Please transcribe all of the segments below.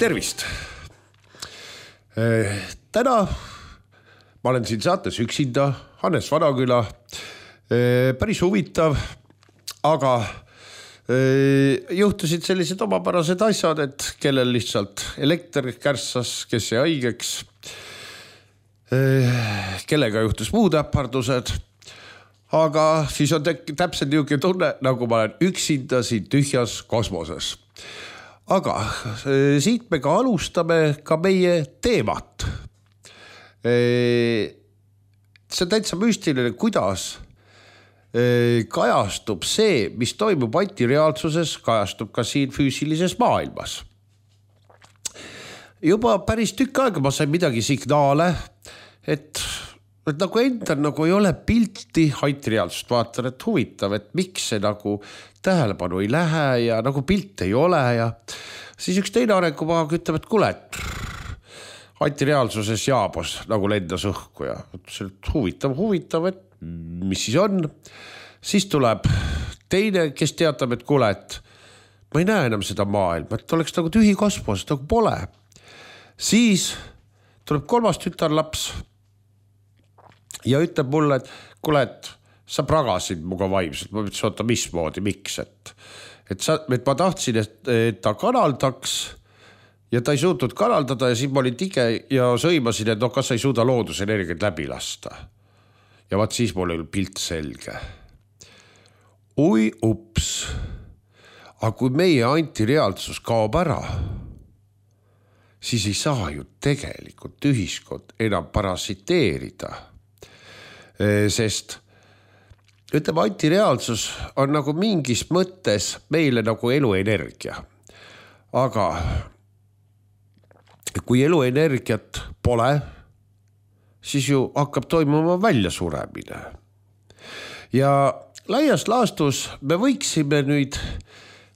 Tervist! Täna ma olen siin saates üksinda, Hannes Vanaküla. Päris huvitav, aga juhtusid sellised omapärased asjad, et kellel lihtsalt elekter kärssas, kes jäi haigeks, kellega juhtus muud äpardused. Aga siis on täpselt niisugune tunne, nagu ma olen üksinda siin tühjas kosmoses. Aga siit me ka alustame ka meie teemat. See on täitsa müstiline, kuidas kajastub see, mis toimub antireaalsuses, kajastub ka siin füüsilises maailmas. Juba päris tükk aega ma sain midagi signaale, et nagu endal nagu ei ole pilti antireaalsust. Vaatan, et huvitav, et miks see nagu tähelepanu ei lähe ja nagu pilt ei ole. Ja siis üks teine arengumaag ütleb, et kuule, et antireaalsuses jaabos nagu lendas õhku ja huvitav, et mis siis on. Siis tuleb teine, kes teatab, et kuule, et ma ei näe enam seda maailma, et oleks nagu tühi kosmos, nagu pole. Siis tuleb kolmas tütarlaps ja ütleb mulle, et kuule, et sa pragasid muga vaimselt. Ma ütlesin, oota, mismoodi, miks? Et ma tahtsin, et ta kanaldaks ja ta ei suutnud kanaldada ja siis ma olin tige ja sõimasin, et kas sa ei suuda loodusenergiat läbi lasta. Ja vaat siis mul oli pilt selge. Oi ups, aga kui meie antireaalsus kaob ära, siis ei saa ju tegelikult ühiskond enam parasiteerida. Sest ütleme, antireaalsus on nagu mingis mõttes meile nagu eluenergia. Aga kui eluenergiat pole, siis ju hakkab toimuma väljasuremine. Ja laias laastus me võiksime nüüd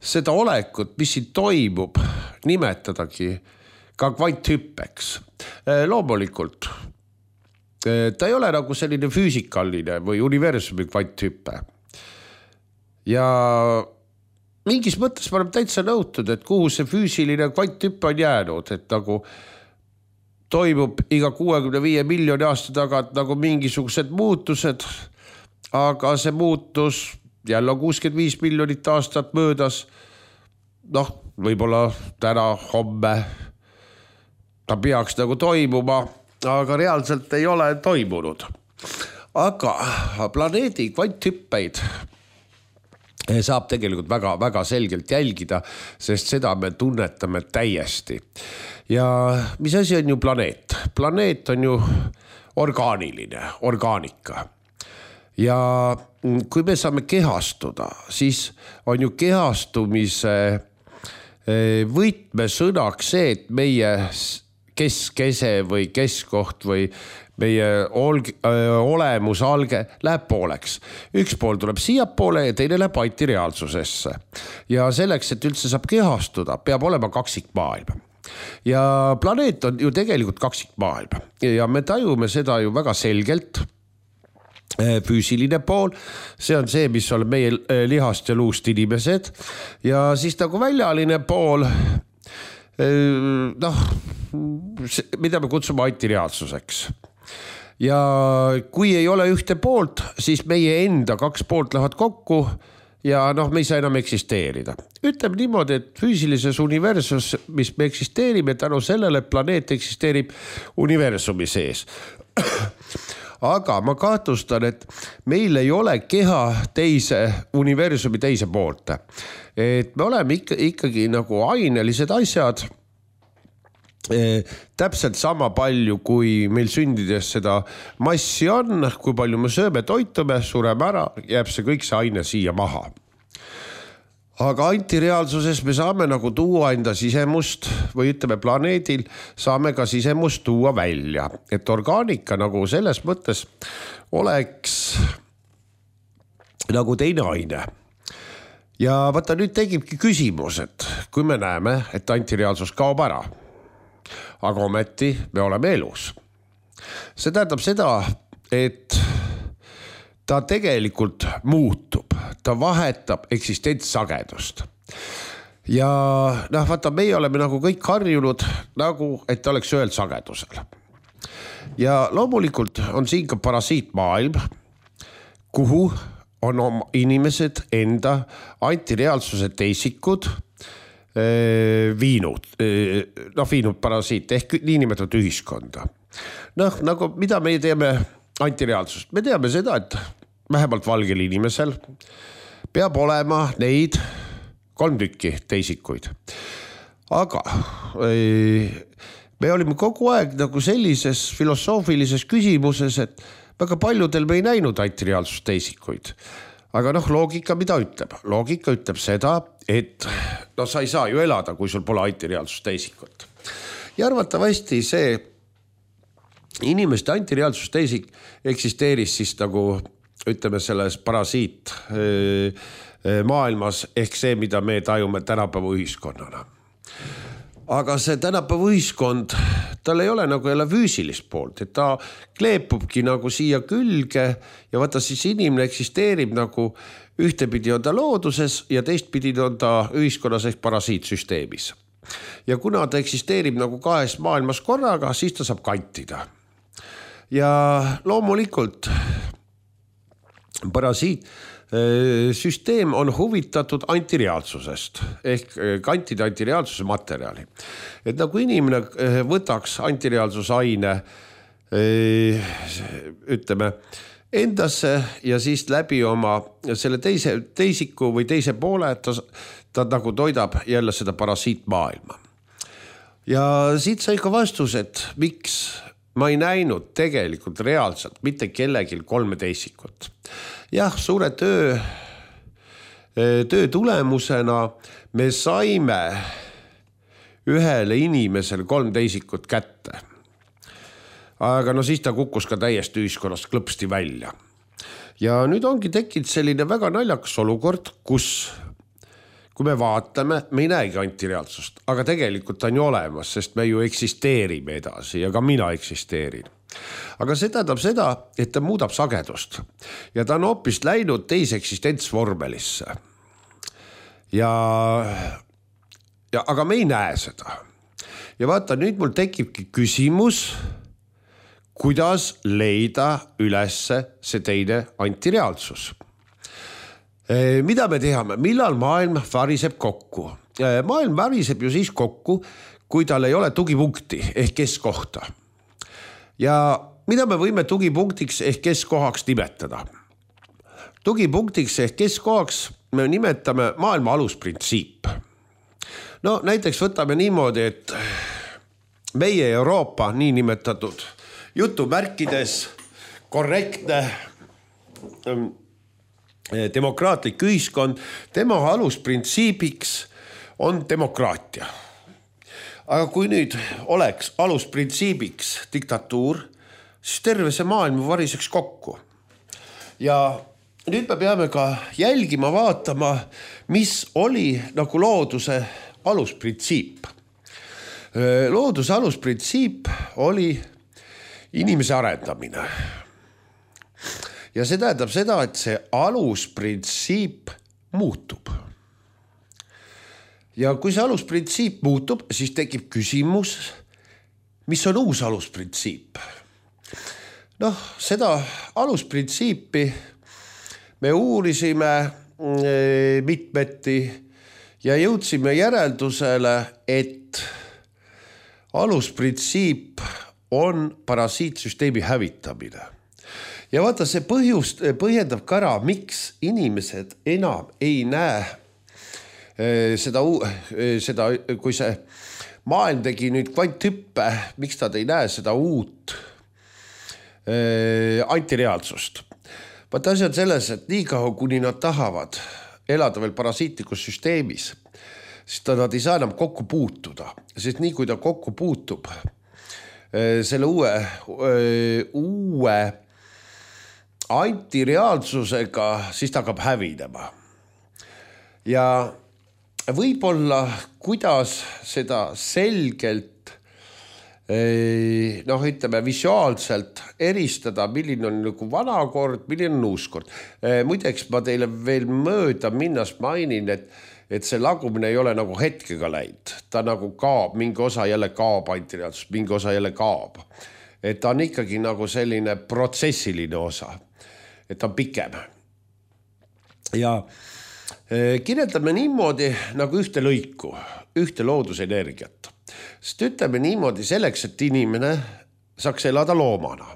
seda olekut, mis siin toimub, nimetadagi ka kvanthüppeks. Loomulikult ta ei ole nagu selline füüsikaline või universumi kvanthüppe. Ja mingis mõttes ma olen täitsa nõutud, et kuhu see füüsiline kvanthüppe on jäänud, et nagu toimub iga 65 miljoni aasta tagant nagu mingisugused muutused, aga see muutus jälle on 65 miljonit aastat möödas. Võib-olla täna, homme ta peaks nagu toimuma, aga reaalselt ei ole toimunud. Aga planeedi kvanthüppeid saab tegelikult väga, väga selgelt jälgida, sest seda me tunnetame täiesti. Ja mis asi on ju planeet? Planeet on ju orgaaniline, orgaanika. Ja kui me saame kehastuda, siis on ju kehastumise võtmesõnaks see, et meie keskese või keskkoht või meie olemus alge läheb pooleks. Üks pool tuleb siia poole ja teine läheb antireaalsusesse. Ja selleks, et üldse saab kehastuda, peab olema kaksikmaailm. Ja planeet on ju tegelikult kaksikmaailm. Ja me tajume seda ju väga selgelt. Füüsiline pool, see on see, mis on meie lihast ja luust inimesed. Ja siis nagu väljaline pool, mida me kutsume antireaalsuseks. Ja kui ei ole ühte poolt, siis meie enda kaks poolt lähevad kokku ja me ei saa enam eksisteerida. Ütleme niimoodi, et füüsilises universus, mis me eksisteerime, tänu sellele planeet eksisteerib universumi sees. Aga ma kahtlustan, et meil ei ole keha universumi teise poolt. Et me oleme ikkagi nagu ainelised asjad, täpselt sama palju, kui meil sündides seda massi on, kui palju me sööme, toitume, sureme ära, jääb see kõik see aine siia maha. Aga antireaalsuses me saame nagu tuua enda sisemust või ütleme planeedil, saame ka sisemust tuua välja. Et orgaanika nagu selles mõttes oleks nagu teine aine. Ja vaata nüüd tegibki küsimus, et kui me näeme, et antireaalsus kaob ära, aga ometi me oleme elus. See tähendab seda, et ta tegelikult muutub, ta vahetab eksistentsagedust. ja vaata, meie oleme nagu kõik harjunud nagu, et oleks ühel sagedusel. Ja loomulikult on siin ka parasiitmaailm, kuhu on oma inimesed enda antireaalsuse teisikud viinud parasiit ehk niinimetatud ühiskonda. Nagu mida me teeme antireaalsust? Me teame seda, et vähemalt valgel inimesel peab olema neid 3 tükki teisikuid. Aga me olime kogu aeg nagu sellises filosoofilises küsimuses, et väga paljudel me ei näinud antireaalsust teisikuid. Aga loogika mida ütleb? Loogika ütleb seda, et sa ei saa ju elada, kui sul pole antireaalsust teisikut. Ja arvatavasti see inimeste antireaalsust teisik eksisteeris siis nagu ütleme selles parasiit maailmas ehk see, mida me tajume tänapäeva ühiskonnana. Aga see tänapäeva ühiskond, tal ei ole nagu jälle füüsilist poolt, et ta kleepubki nagu siia külge ja vaata siis inimene eksisteerib nagu ühtepidi on ta looduses ja teistpidi on ta ühiskonnas ehk parasiitsüsteemis. Ja kuna ta eksisteerib nagu 2 maailmas korraga, siis ta saab kantida. Ja loomulikult parasiitsüsteem on huvitatud antireaalsusest ehk kantida antireaalsuse materjali. Et nagu inimene võtaks antireaalsusaine ütleme endasse ja siis läbi oma selle teisiku või teise poole, ta nagu toidab jälle seda parasiitmaailma. Ja siit sai ka vastus, et miks ma ei näinud tegelikult reaalselt mitte kellegil 3 teisikut. Jah, suure töö tulemusena me saime ühele inimesele 3 teisikut kätte. Aga siis ta kukkus ka täiesti ühiskonnast klõpsti välja. Ja nüüd ongi tekkinud selline väga naljakas olukord, kus kui me vaatame, me ei näegi antireaalsust, aga tegelikult ta on ju olemas, sest me ju eksisteerime edasi ja ka mina eksisteerin. Aga see tähendab seda, et ta muudab sagedust ja ta on hoopis läinud teise eksistentsvormelisse. Aga me ei näe seda. Ja vaata, nüüd mul tekibki küsimus, kuidas leida ülesse see teine antireaalsus. Mida me teame? Millal maailm variseb kokku? Maailm variseb ju siis kokku, kui tal ei ole tugipunkti ehk keskkohta. Ja mida me võime tugipunktiks ehk keskkohaks nimetada? Tugipunktiks ehk keskkohaks me nimetame maailma alusprintsiip. Näiteks võtame niimoodi, et meie Euroopa niinimetatud jutumärkides korrektne demokraatlik ühiskond, tema alusprintsiibiks on demokraatia. Aga kui nüüd oleks alusprintsiibiks diktatuur, siis terve see maailm variseks kokku. Ja nüüd me peame ka jälgima, vaatama, mis oli nagu looduse alusprintsiip. Looduse alusprintsiip oli inimese arendamine. Ja see tähendab seda, et see alusprintsiip muutub. Ja kui see alusprintsiip muutub, siis tekib küsimus, mis on uus alusprintsiip. Seda alusprintsiipi me uurisime mitmeti ja jõudsime järeldusele, et alusprintsiip on parasiitsüsteemi hävitamine. Ja vaata, see põhjendab ka ära, miks inimesed enam ei näe seda, kui see maailm tegi nüüd kvanthüppe, miks nad ei näe seda uut antireaalsust. Vaata, asi on selles, et nii kaua, kuni nad tahavad elada veel parasiitlikus süsteemis, siis nad ei saa enam kokku puutuda, sest nii kui ta kokku puutub selle uue antireaalsusega, siis ta hakkab hävinema. Ja võib-olla, kuidas seda selgelt, ütleme visuaalselt eristada, milline on nagu vana kord, milline on uus kord. Muideks ma teile veel mööda minnas mainin, et see lagumine ei ole nagu hetkega läinud, ta nagu kaob, mingi osa jälle kaob antireaalsus, mingi osa jälle kaob. Et ta on ikkagi nagu selline protsessiline osa, et ta on pikem. Ja kirjeldame niimoodi nagu ühte lõiku, ühte loodusenergiat. Sest ütleme niimoodi selleks, et inimene saaks elada loomana.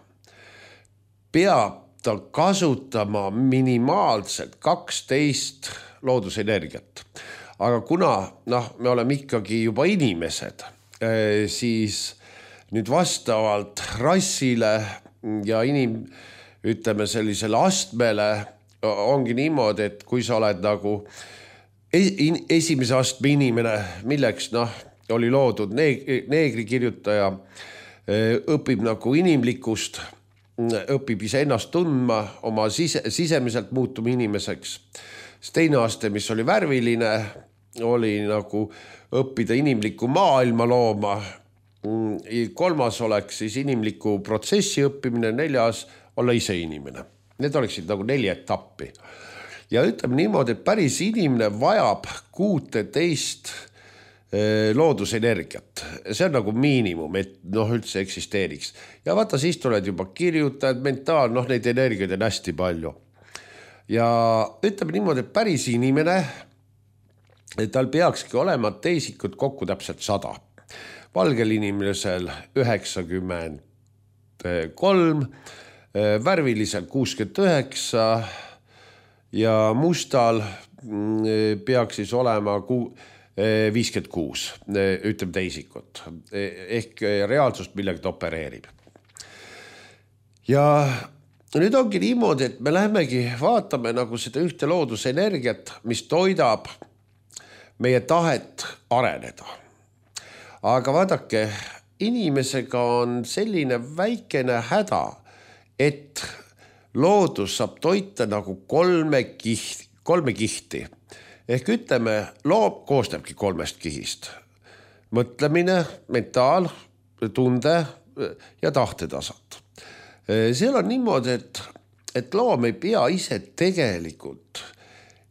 Peab ta kasutama minimaalselt 12 loodusenergiat. Aga kuna me oleme ikkagi juba inimesed, siis nüüd vastavalt rassile ja ütleme sellisele astmele ongi niimoodi, et kui sa oled nagu esimese astme inimene, milleks oli loodud neegrikirjutaja, õpib nagu inimlikust, õpib ise ennast tundma, oma sisemiselt muutuma inimeseks. Teine aste, mis oli värviline, oli nagu õppida inimlikku maailma looma. Kolmas oleks siis inimliku protsessi õppimine, 4. olla ise inimene. Need oleksid nagu 4 etappi. Ja ütleme niimoodi, et päris inimene vajab 16 loodusenergiat. See on nagu miinimum, et üldse eksisteeriks. Ja vaata, siis tuled juba kirjutajad, mentaal, neid energiaid on hästi palju. Ja ütleme niimoodi, et päris inimene, tal peakski olema teisikud kokku täpselt 100. Valgel inimesel 93, värvilisel 69 ja mustal peaks siis olema 56, ütleme teisikut, ehk reaalsust millega ta opereerib. Ja nüüd ongi niimoodi, et me lähemegi vaatame nagu seda ühte loodusenergiat, mis toidab meie tahet areneda. Aga vaadake, inimesega on selline väikene häda, et loodus saab toita nagu 3 kihti. Ehk ütleme, loom koostabki 3 kihist. Mõtlemine, mentaal, tunde ja tahtetasand. Seal on niimoodi, et loom ei pea ise tegelikult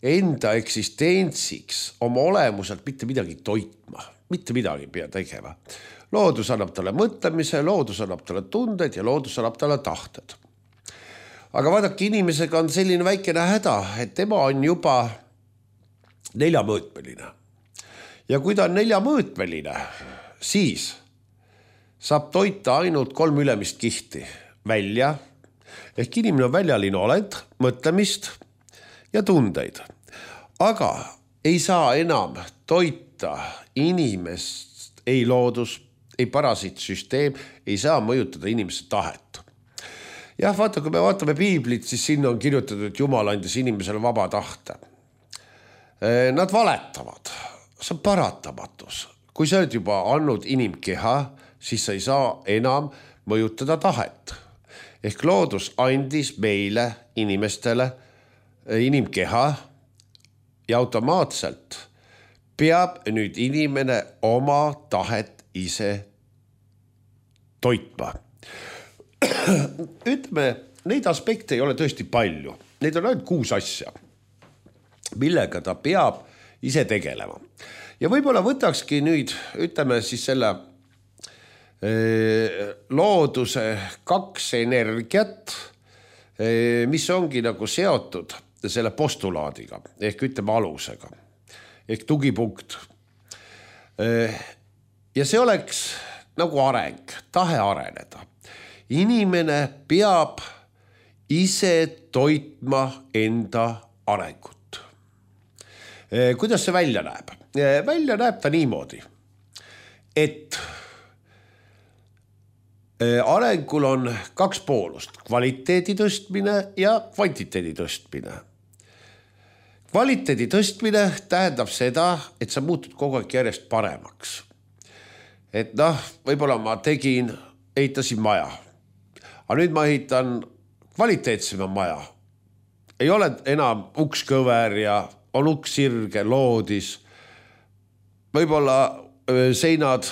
enda eksistentsiks oma olemuselt mitte midagi toitma. Mitte midagi ei pea tegema. Loodus annab talle mõtlemise, loodus annab talle tunded ja loodus annab talle tahted. Aga vaadake, inimesega on selline väikene häda, et tema on juba 4-mõõtmeline. Ja kui ta on 4-mõõtmeline, siis saab toita ainult 3 ülemist kihti välja. Ehk inimene on väljaline olend, mõtlemist ja tundeid. Aga ei saa enam toita inimest, ei loodus, ei parasiitsüsteem, ei saa mõjutada inimese tahet. Jah, vaata, kui me vaatame piiblit, siis sinna on kirjutatud, et Jumal andis inimesele vaba tahte. Nad valetavad, see on paratamatus. Kui sa oled juba andnud inimkeha, siis sa ei saa enam mõjutada tahet. Ehk loodus andis meile inimestele inimkeha ja automaatselt peab nüüd inimene oma tahet ise toitma. Ütleme, neid aspekte ei ole tõesti palju. Neid on ainult 6 asja, millega ta peab ise tegelema. Ja võib-olla võtakski nüüd, ütleme siis selle looduse 2 energiat, mis ongi nagu seotud selle postulaadiga, ehk ütleme alusega, ehk tugipunkt. Ja see oleks nagu areng, tahe areneda. Inimene peab ise toitma enda arengut. Kuidas see välja näeb? Välja näeb ta niimoodi, et arengul on 2 poolust, kvaliteedi tõstmine ja kvantiteedi tõstmine. Kvaliteedi tõstmine tähendab seda, et sa muutud kogu aeg järjest paremaks. Et võib-olla ma ehitasin maja, aga nüüd ma ehitan kvaliteetsema maja. Ei ole enam ukskõver ja on uks sirge, loodis. Võib-olla seinad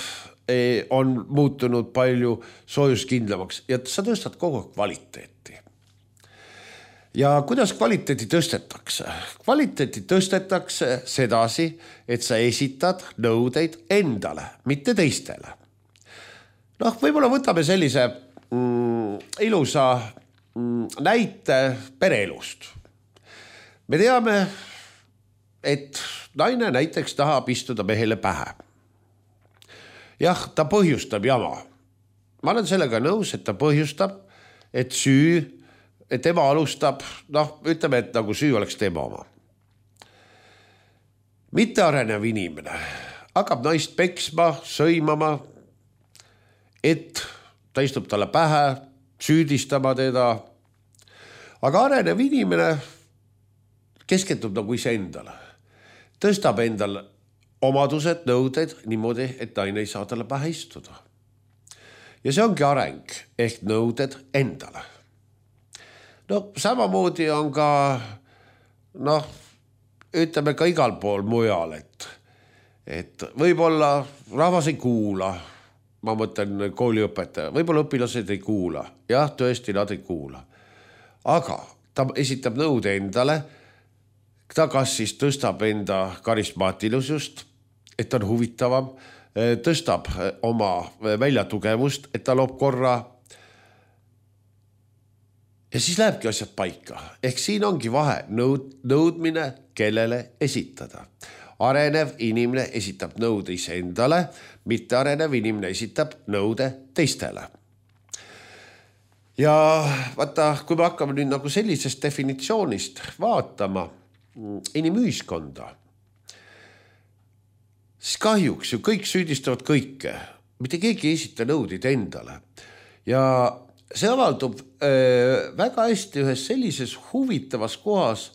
on muutunud palju soojuskindlamaks ja sa tõstad kogu aeg kvaliteeti. Ja kuidas kvaliteeti tõstetakse? Kvaliteeti tõstetakse sedasi, et sa esitad nõudeid endale, mitte teistele. Võib-olla võtame sellise ilusa näite pereelust. Me teame, et naine näiteks tahab istuda mehele pähe. Jah, ta põhjustab jama. Ma olen sellega nõus, et ta põhjustab, et tema alustab, ütleme, et nagu süü oleks tema oma. Mittearenev inimene hakkab naist peksma, sõimama, et ta istub talle pähe, süüdistama teda. Aga arenev inimene keskendub nagu ise endale. Tõstab endal omadused, nõuded niimoodi, et naine ei saa talle pähe istuda. Ja see ongi areng, ehk nõuded endale. Samamoodi on ka, ütleme ka igal pool mujal, et võib-olla rahvas ei kuula, ma mõtlen kooliõpetaja, võib-olla õpilased ei kuula, jah, tõesti nad ei kuula. Aga ta esitab nõude endale, ta kas siis tõstab enda karismaatilisust, et ta on huvitavam, tõstab oma väljatugevust, et ta loob korra. Ja siis lähebki asjad paika. Ehk siin ongi vahe nõudmine, kellele esitada. Arenev inimene esitab nõude ise endale, mitte arenev inimene esitab nõude teistele. Ja vaata, kui me hakkame nüüd nagu sellisest definitsioonist vaatama inimühiskonda, siis kahjuks ju kõik süüdistavad kõike. Mitte keegi ei esita nõudeid endale. Ja see avaldub väga hästi ühes sellises huvitavas kohas,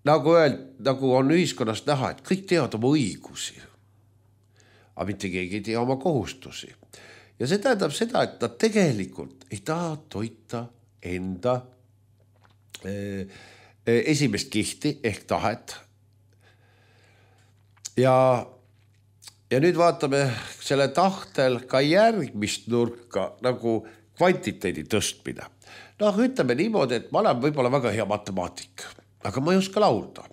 nagu on ühiskonnas näha, et kõik teavad oma õigusi, aga mitte keegi ei tea oma kohustusi. Ja see tähendab seda, et nad tegelikult ei taha toita enda esimest kihti ehk tahet. Ja nüüd vaatame selle tahtel ka järgmist nurka nagu kvantiteedi tõstmine. Ütleme niimoodi, et ma olen võib-olla väga hea matemaatik, aga ma ei oska laulda.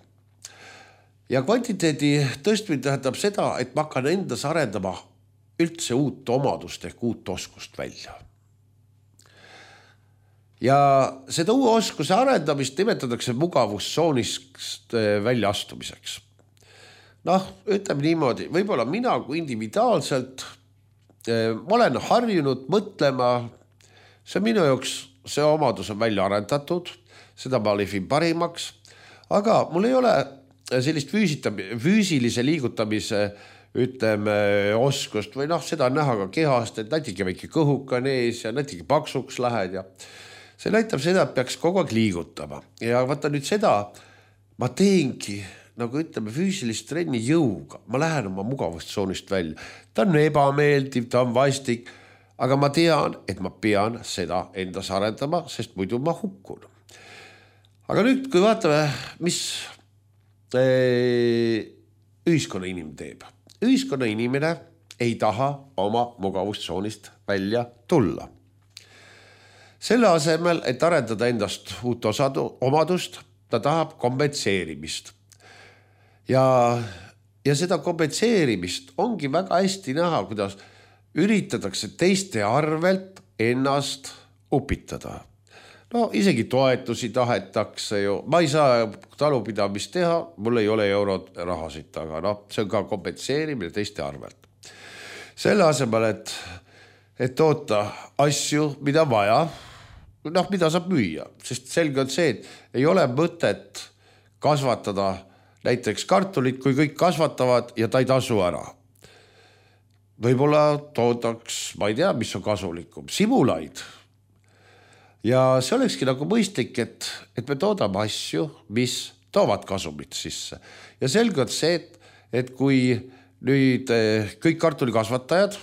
Ja kvantiteedi tõstmine tähendab seda, et ma hakkan endas arendama üldse uut omadust ehk uut oskust välja. Ja seda uue oskuse arendamist nimetatakse mugavustsoonist välja astumiseks. Ütleme niimoodi, võib-olla mina kui individuaalselt, ma olen harjunud mõtlema, see minu jaoks, see omadus on välja arendatud, seda ma lihvin parimaks, aga mul ei ole sellist füüsilise liigutamise, ütleme, oskust või seda on näha ka kehast, et natuke väike kõhuka ees ja natuke paksuks lähed ja see näitab seda, et peaks kogu aeg liigutama. Ja vaata nüüd seda, ma teengi nagu ütleme füüsilist trenni jõuga, ma lähen oma mugavustsoonist välja. Ta on ebameeldiv, ta on vastik, aga ma tean, et ma pean seda endas arendama, sest muidu ma hukkun. Aga nüüd, kui vaatame, mis ühiskonna inimene teeb. Ühiskonna inimene ei taha oma mugavustsoonist välja tulla. Selle asemel, et arendada endast uut omadust, ta tahab kompenseerimist. Ja seda kompenseerimist ongi väga hästi näha, kuidas üritatakse teiste arvelt ennast upitada. Isegi toetusi tahetakse ju. Ma ei saa talupidamist teha, mul ei ole eurod rahasid taga. See on ka kompenseerimine teiste arvelt. Selle asemel, et toota asju, mida vaja, mida saab müüa. Sest selge on see, et ei ole mõtet kasvatada näiteks kartulit, kui kõik kasvatavad ja ta ei tasu ära. Võib-olla toodaks, ma ei tea, mis on kasulikum, simulaid. Ja see olekski nagu mõistlik, et me toodame asju, mis toovad kasumit sisse. Ja selge on see, et kui nüüd kõik kartulikasvatajad,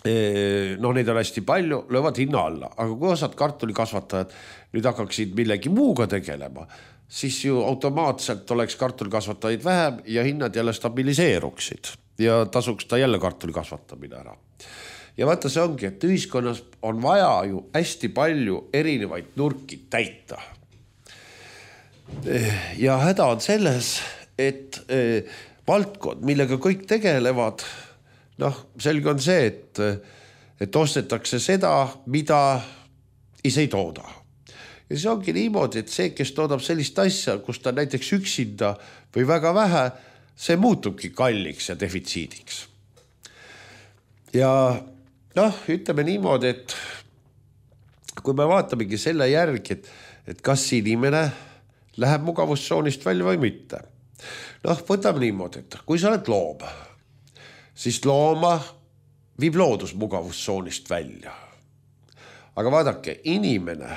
neid on hästi palju, löövad hinna alla. Aga kui osad kartulikasvatajad nüüd hakkaksid millegi muuga tegelema, siis ju automaatselt oleks kartulikasvatajaid vähem ja hinnad jälle stabiliseeruksid ja tasuks ta jälle kartulikasvatamine ära. ja vaata, see ongi, et ühiskonnas on vaja ju hästi palju erinevaid nurki täita. Ja häda on selles, et valdkond, millega kõik tegelevad, selge on see, et ostetakse seda, mida ise ei tooda. Ja see ongi niimoodi, et see, kes toodab sellist asja, kus ta näiteks üksinda või väga vähe, see muutubki kalliks ja defitsiidiks. Ja ütleme niimoodi, et kui me vaatamegi selle järgi, et kas inimene läheb mugavustsoonist välja või mitte. Võtame niimoodi, et kui sa oled loom, siis looma viib loodus mugavustsoonist välja. Aga vaadake, inimene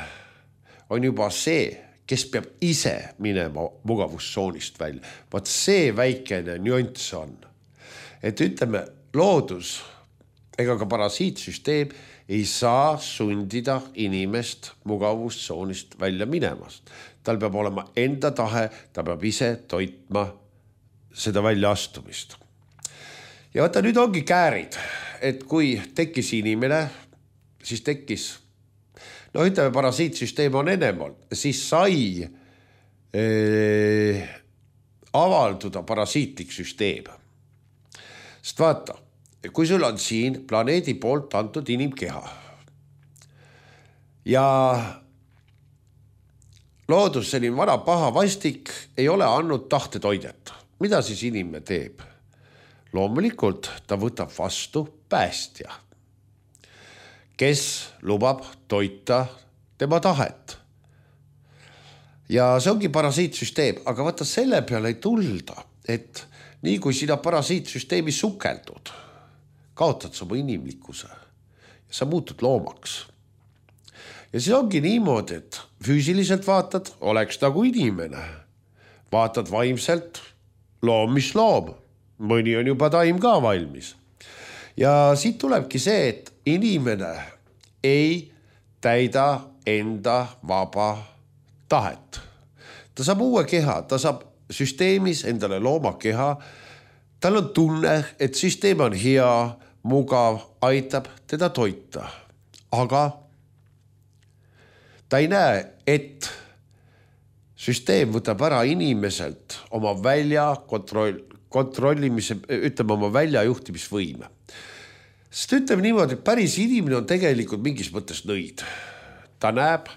on juba see, kes peab ise minema mugavustsoonist välja. Vaat see väikene nüanss on. Et ütleme, loodus ega ka parasiitsüsteem ei saa sundida inimest mugavustsoonist välja minemast. Tal peab olema enda tahe, ta peab ise toitma seda väljaastumist. Ja vaata, nüüd ongi käärid, et kui tekkis inimene, siis tekkis, ütleme, parasiitsüsteem on enemal, siis sai avalduda parasiitlik süsteem. Sest vaata, kui sul on siin planeedi poolt antud inimkeha ja loodus, selline vana paha vastik ei ole andnud tahtetoidet. Mida siis inimene teeb? Loomulikult ta võtab vastu päästja, kes lubab toita tema tahet. Ja see ongi parasiitsüsteem, aga vaata selle peale ei tulda, et nii kui sina parasiitsüsteemi sukeldud, kaotad sa oma inimlikkuse ja sa muutud loomaks. Ja see ongi niimoodi, et füüsiliselt vaatad, oleks nagu inimene. Vaatad vaimselt, loom mis loom. Mõni on juba taim ka valmis. Ja siit tulebki see, et inimene ei täida enda vaba tahet. Ta saab uue keha, ta saab süsteemis endale looma keha. Tal on tunne, et süsteem on hea, mugav, aitab teda toita. Aga ta ei näe, et süsteem võtab ära inimeselt oma kontrollimise, ütleme oma väljajuhtimisvõime. Sest ütleme niimoodi, et päris inimene on tegelikult mingis mõttes nõid. Ta näeb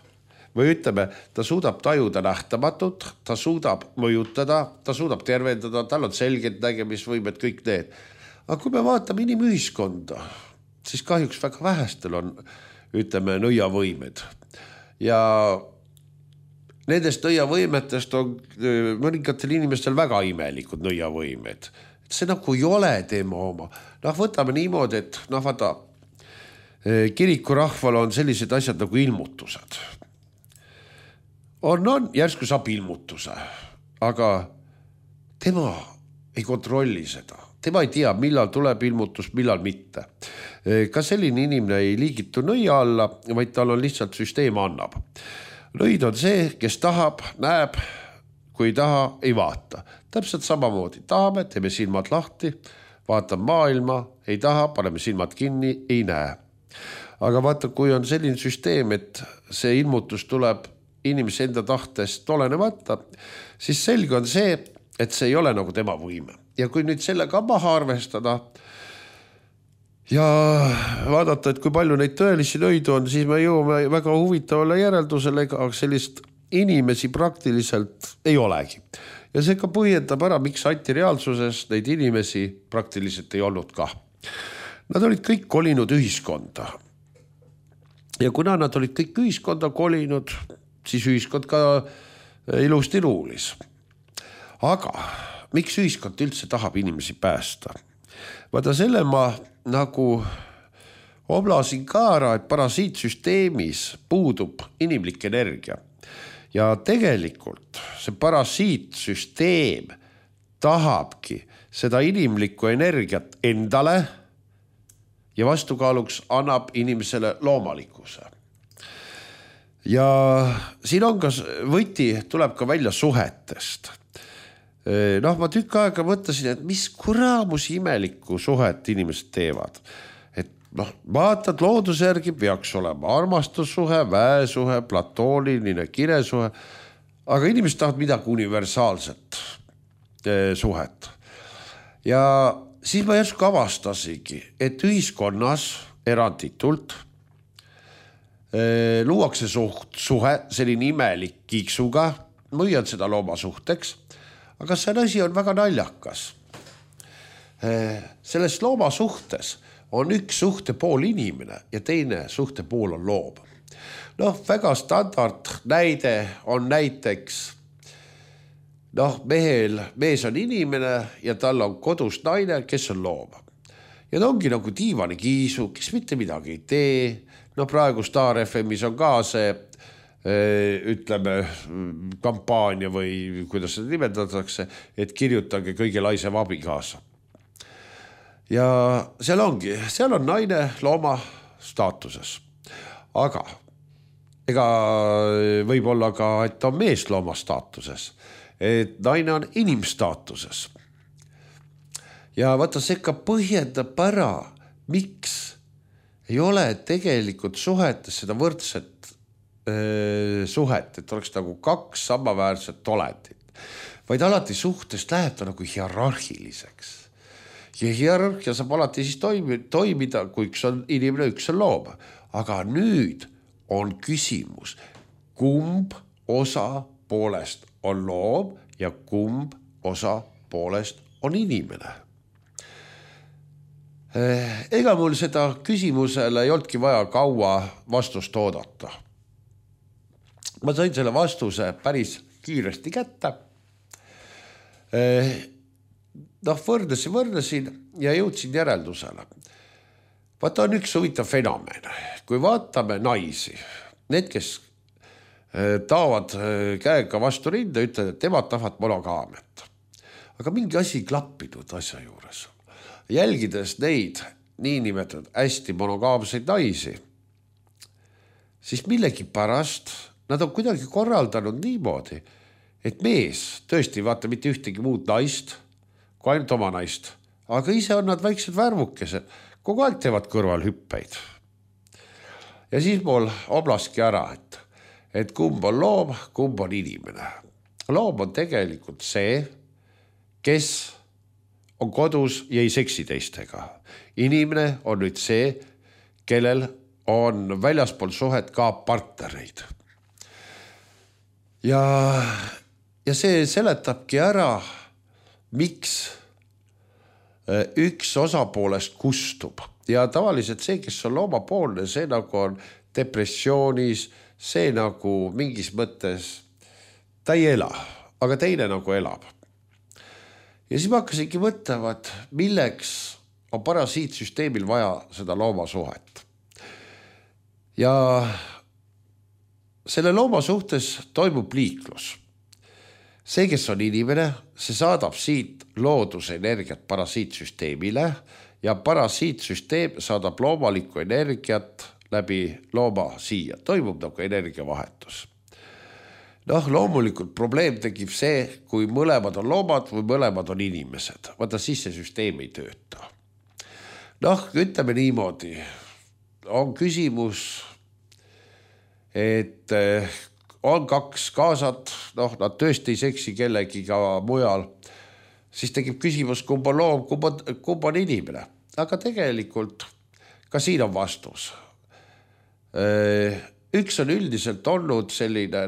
või ütleme, ta suudab tajuda nähtamatut, ta suudab mõjutada, ta suudab tervendada, tal on selged nägemisvõimed, kõik need. Aga kui me vaatame inimühiskonda, siis kahjuks väga vähestel on, ütleme, nõiavõimed. Ja nendest nõiavõimetest on mõningatel inimestel väga imelikud nõiavõimed. See nagu ei ole tema oma. Võtame niimoodi, et vaata, kirikurahval on sellised asjad nagu ilmutused. On, järsku saab ilmutuse, aga tema ei kontrolli seda. Tema ei tea, millal tuleb ilmutus, millal mitte. Ka selline inimene ei liigitu nõia alla, vaid tal on lihtsalt süsteem annab. Nõid on see, kes tahab, näeb, kui ei taha, ei vaata. Täpselt samamoodi. Tahame, teeme silmad lahti, vaatame maailma, ei taha, paneme silmad kinni, ei näe. Aga vaata, kui on selline süsteem, et see ilmutus tuleb inimese enda tahtest olenemata, siis selge on see, et see ei ole nagu tema võime. Ja kui nüüd sellega maha arvestada ja vaadata, et kui palju neid tõelisi nõidu on, siis me jõuame väga huvitavale järeldusele, aga sellist inimesi praktiliselt ei olegi. Ja see ka põhjendab ära, miks antireaalsuses neid inimesi praktiliselt ei olnud ka. Nad olid kõik kolinud ühiskonda. Ja kuna nad olid kõik ühiskonda kolinud, siis ühiskond ka ilusti ruulis. Aga miks ühiskond üldse tahab inimesi päästa? Vaata selle ma nagu oblasin ka ära, et parasiitsüsteemis puudub inimlik energia. Ja tegelikult see parasiitsüsteem tahabki seda inimlikku energiat endale ja vastukaaluks annab inimesele loomalikkuse. Ja siin on ka võti, tuleb ka välja suhetest. Ma tükk aega mõtlesin, et mis kuraamus imelikku suhet inimesed teevad. Et vaatad looduse järgi peaks olema armastussuhe, väesuhe, platooniline kiresuhe, aga inimesed tahavad midagi universaalset suhet. Ja siis ma järsku avastasingi, et ühiskonnas eranditult luuakse suhe, selline imelik kiiksuga, müüad seda loomasuhteks, aga see asi on väga naljakas. Selles loomasuhtes on üks suhtepool inimene ja teine suhtepool on loom. Väga standard näide on näiteks, mees on inimene ja tal on kodus naine, kes on loom. Ja ta ongi nagu diivani kiisu, kes mitte midagi ei tee. Praegu Star FMis on ka see, ütleme, kampaania või kuidas seda nimetatakse, et kirjutage kõige laisem abikaasa. Ja seal on naine looma staatuses. Aga ega võib olla ka, et on mees looma staatuses. Et naine on inimstaatuses. Ja vaata, see ka põhjendab ära, miks ei ole tegelikult suhetes seda võrdset suhet, et oleks nagu kaks samaväärset olendit. Vaid alati suhtes läheb ta nagu hierarhiliseks. Ja hierarhia saab alati siis toimida, kui üks on inimene, üks on loom. Aga nüüd on küsimus, kumb osa poolest on loom ja kumb osa poolest on inimene. Ega mul seda küsimusele ei olnudki vaja kaua vastust oodata. Ma sain selle vastuse päris kiiresti kätte. Võrdlesin ja jõudsin järeldusele. Vaata, on üks huvitav fenomen. Kui vaatame naisi, need, kes taavad käega vastu rinda, ütlevad, et temad tahavad monogaamiat. Aga mingi asi klappinud asja juures. Jälgides neid niinimetatud hästi monogaamseid naisi, siis millegi pärast nad on kuidagi korraldanud niimoodi, et mees tõesti vaata mitte ühtegi muud naist, kui ainult oma naist, aga ise on nad väiksed värvukesed, kogu aeg teevad kõrval hüppeid. Ja siis mul oblaski ära, et kumb on loom, kumb on inimene. Loom on tegelikult see, kes on kodus ja ei seksi teistega. Inimene on nüüd see, kellel on väljaspool suhet ka partnereid. Ja see seletabki ära, miks üks osapoolest kustub. Ja tavaliselt see, kes on loomapoolne, see nagu on depressioonis, see nagu mingis mõttes, ta ei ela, aga teine nagu elab. Ja siis ma hakkasingi mõtlema, et milleks on parasiitsüsteemil vaja seda loomasuhet. Ja selle looma suhtes toimub liiklus. See, kes on inimene, see saadab siit looduse energiat parasiitsüsteemile ja parasiitsüsteem saadab loomalikku energiat läbi looma siia. Toimub nagu energiavahetus. Loomulikult probleem tekib see, kui mõlemad on loomad või mõlemad on inimesed. Vaata, siis see süsteem ei tööta. Ütleme niimoodi. On küsimus, et on kaks kaasat, nad tõesti ei seksi kellegiga mujal, siis tekib küsimus, kumb on loom, kumb on inimene. Aga tegelikult ka siin on vastus. Üks on üldiselt olnud selline,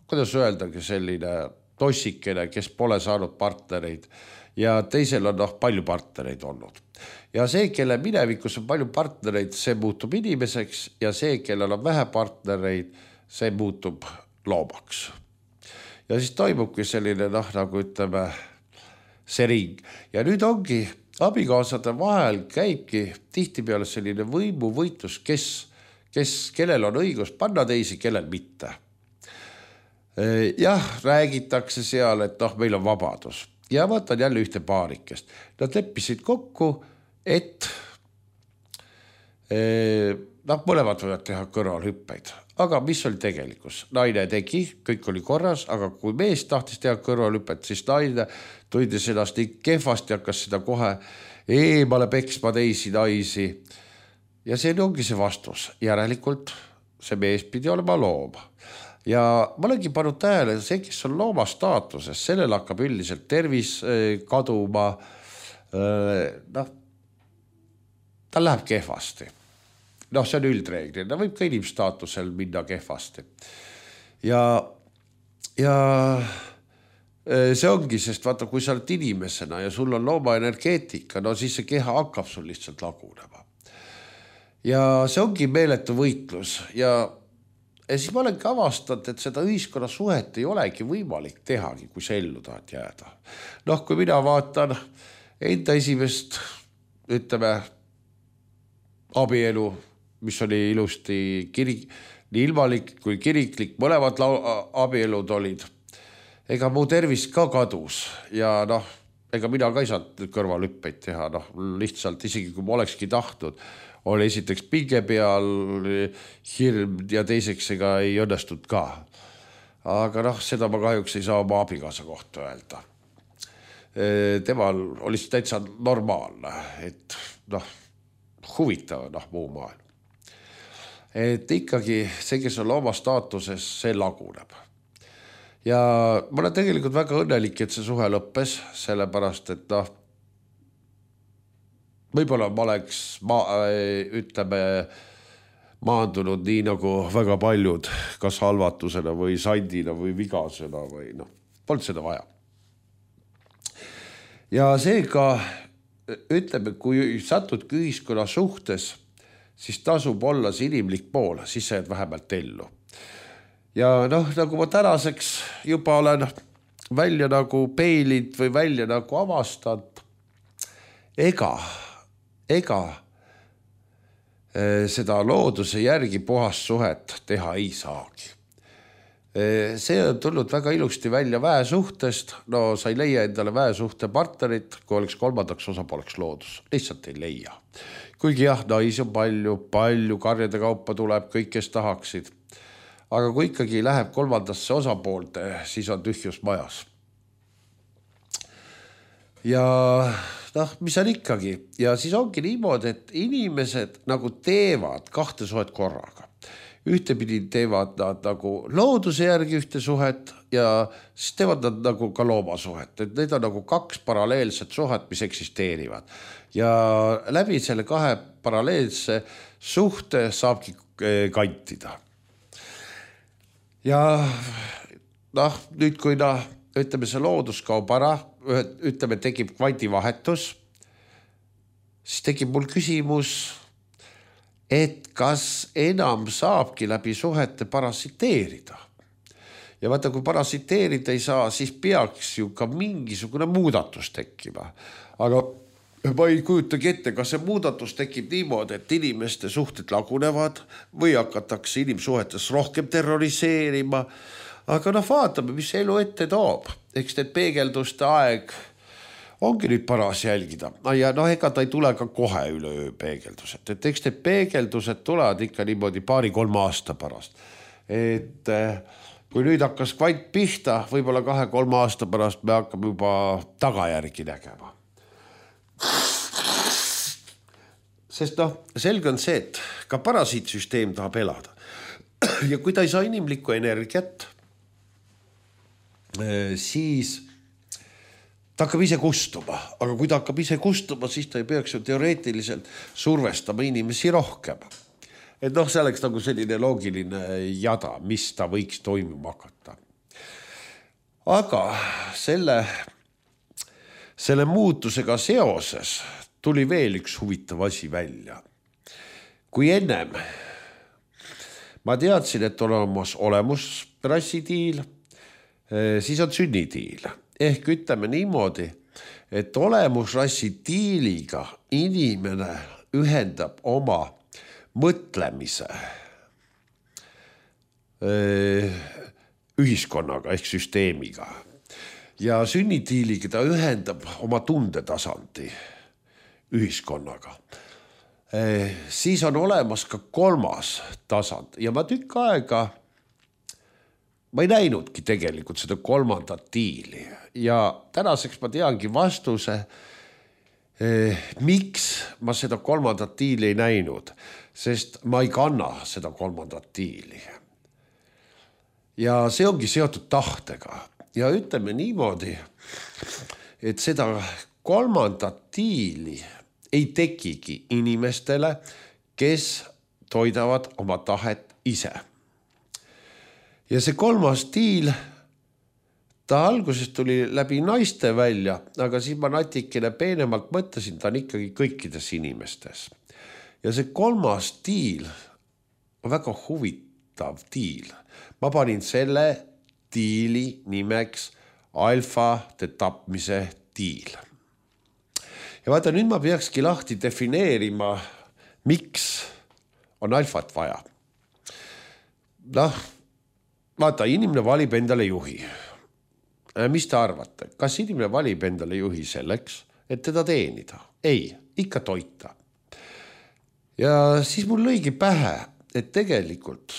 kuidas öeldagi, selline tossikene, kes pole saanud partnereid ja teisel on palju partnereid olnud. Ja see, kelle minevikus on palju partnereid, see muutub inimeseks ja see, kellel on vähe partnereid, see muutub loomaks. Ja siis toimubki selline, nagu ütleme, see ring. Ja nüüd ongi abikaasade vahel käibki tihtipeale selline võimuvõitlus, kellel on õigus panna teisi, kellel mitte. Jah, räägitakse seal, et meil on vabadus. Ja vaatan jälle ühte paarikest. Nad leppisid kokku, et mõlemad võivad teha kõrvalhüppeid. aga mis oli tegelikkus? Naine tegi, kõik oli korras, aga kui mees tahtis teha kõrvalhüpet, siis naine tundis ennast nii kehvasti, hakkas seda kohe eemale peksma teisi naisi. Ja see ongi see vastus. Järelikult see mees pidi olema looma. Ja ma olengi pannud tähele, see, kes on looma staatuses, sellel hakkab üldiselt tervis kaduma, tal läheb kehvasti. See on üldreegel, ta võib ka inimstaatusel minna kehvasti. Ja see ongi, sest vaata, kui sa oled inimesena ja sul on looma energeetika, siis see keha hakkab sul lihtsalt lagunema. Ja see ongi meeletu võitlus ja siis ma olen ka avastanud, et seda ühiskonna suhet ei olegi võimalik tehagi, kui sa ellu tahad jääda. Kui mina vaatan enda esimest, ütleme, abielu, mis oli ilusti nii ilmalik kui kiriklik, mõlemad abielud olid. Ega mu tervis ka kadus ja ega mina ka ei saanud kõrvalhüppeid teha, lihtsalt isegi kui ma olekski tahtnud, oli esiteks pinge peal hirm ja teiseks ega ei õnnestunud ka. Aga seda ma kahjuks ei saa oma abikaasa kohta öelda. Temal oli täitsa normaalne, et huvitav muu maailm. Et ikkagi see, kes on looma staatuses, see laguneb. Ja ma olen tegelikult väga õnnelik, et see suhe lõppes, sellepärast, et võib-olla ma oleks, ütleme, maandunud nii nagu väga paljud, kas halvatusena või sandina või vigasena või polnud seda vaja. Ja seega, ütleme, kui satudki ühiskonna suhtes, siis tasub olla see inimlik pool, siis sa jääd vähemalt ellu. Ja nagu ma tänaseks juba olen välja nagu peilid või välja nagu avastanud, ega seda looduse järgi puhast suhet teha ei saagi. See on tulnud väga ilusti välja väesuhtest. Sa ei leia endale väesuhte partnerit, kui oleks kolmandaks osapooleks loodus. Lihtsalt ei leia. Kuigi naisi on palju karjade kaupa tuleb, kõik, kes tahaksid. Aga kui ikkagi läheb kolmandasse osapoolte, siis on tühjus majas. Ja mis on ikkagi? Ja siis ongi niimoodi, et inimesed nagu teevad kahte suhet korraga. Ühtepidi teevad nad nagu looduse järgi ühte suhet ja siis teevad nad nagu ka loomasuhet. Et need on nagu kaks paralleelset suhet, mis eksisteerivad. Ja läbi selle kahe paralleelse suhte saabki kantida. Ja nüüd kui ütleme see loodus kaob ära, ütleme tekib kvandivahetus, siis tekib mul küsimus, et kas enam saabki läbi suhete parasiteerida. Ja vaata, kui parasiteerida ei saa, siis peaks ju ka mingisugune muudatus tekkima. Aga ma ei kujutagi ette, kas see muudatus tekib niimoodi, et inimeste suhted lagunevad või hakatakse inimsuhetes rohkem terroriseerima. Aga vaatame, mis elu ette toob. Eks need peegelduste aeg ongi nüüd paras jälgida. Ja ega ta ei tule ka kohe üleöö peegeldused. Et eks need peegeldused tulevad ikka niimoodi 2-3 aasta pärast. Et kui nüüd hakkas kvant pihta, võib-olla 2-3 aasta pärast me hakkame juba tagajärgi nägema. Sest selge on see, et ka parasiitsüsteem tahab elada. Ja kui ta ei saa inimlikku energiat, siis ta hakkab ise kustuma. Aga kui ta hakkab ise kustuma, siis ta ei peaks ju teoreetiliselt survestama inimesi rohkem. Et see oleks nagu selline loogiline jada, mis ta võiks toimuma hakata. Aga selle muutusega seoses tuli veel üks huvitav asi välja. Kui ennem ma teadsin, et on olemus rassitiil, siis on sünnitiil. Ehk ütleme niimoodi, et olemusrassitiiliga inimene ühendab oma mõtlemise ühiskonnaga ehk süsteemiga. Ja sünnitiiliga ta ühendab oma tundetasandi ühiskonnaga. siis on olemas ka kolmas tasand ja ma tükk aega ma ei näinudki tegelikult seda kolmandat tiili ja tänaseks ma teangi vastuse, miks ma seda kolmandat tiili ei näinud, sest ma ei kanna seda kolmandat tiili. Ja see ongi seotud tahtega ja ütleme niimoodi, et seda kolmandat tiili ei tekigi inimestele, kes toidavad oma tahet ise. Ja see kolmas tiil, ta alguses tuli läbi naiste välja, aga siis ma natikene peenemalt mõtlesin, ta on ikkagi kõikides inimestes. Ja see kolmas tiil on väga huvitav tiil. Ma panin selle tiili nimeks alfade tapmise tiil. Ja vaata, nüüd ma peakski lahti defineerima, miks on alfat vaja. Vaata, inimene valib endale juhi. Mis te arvate? Kas inimene valib endale juhi selleks, et teda teenida? Ei, ikka toita. Ja siis mul lõigi pähe, et tegelikult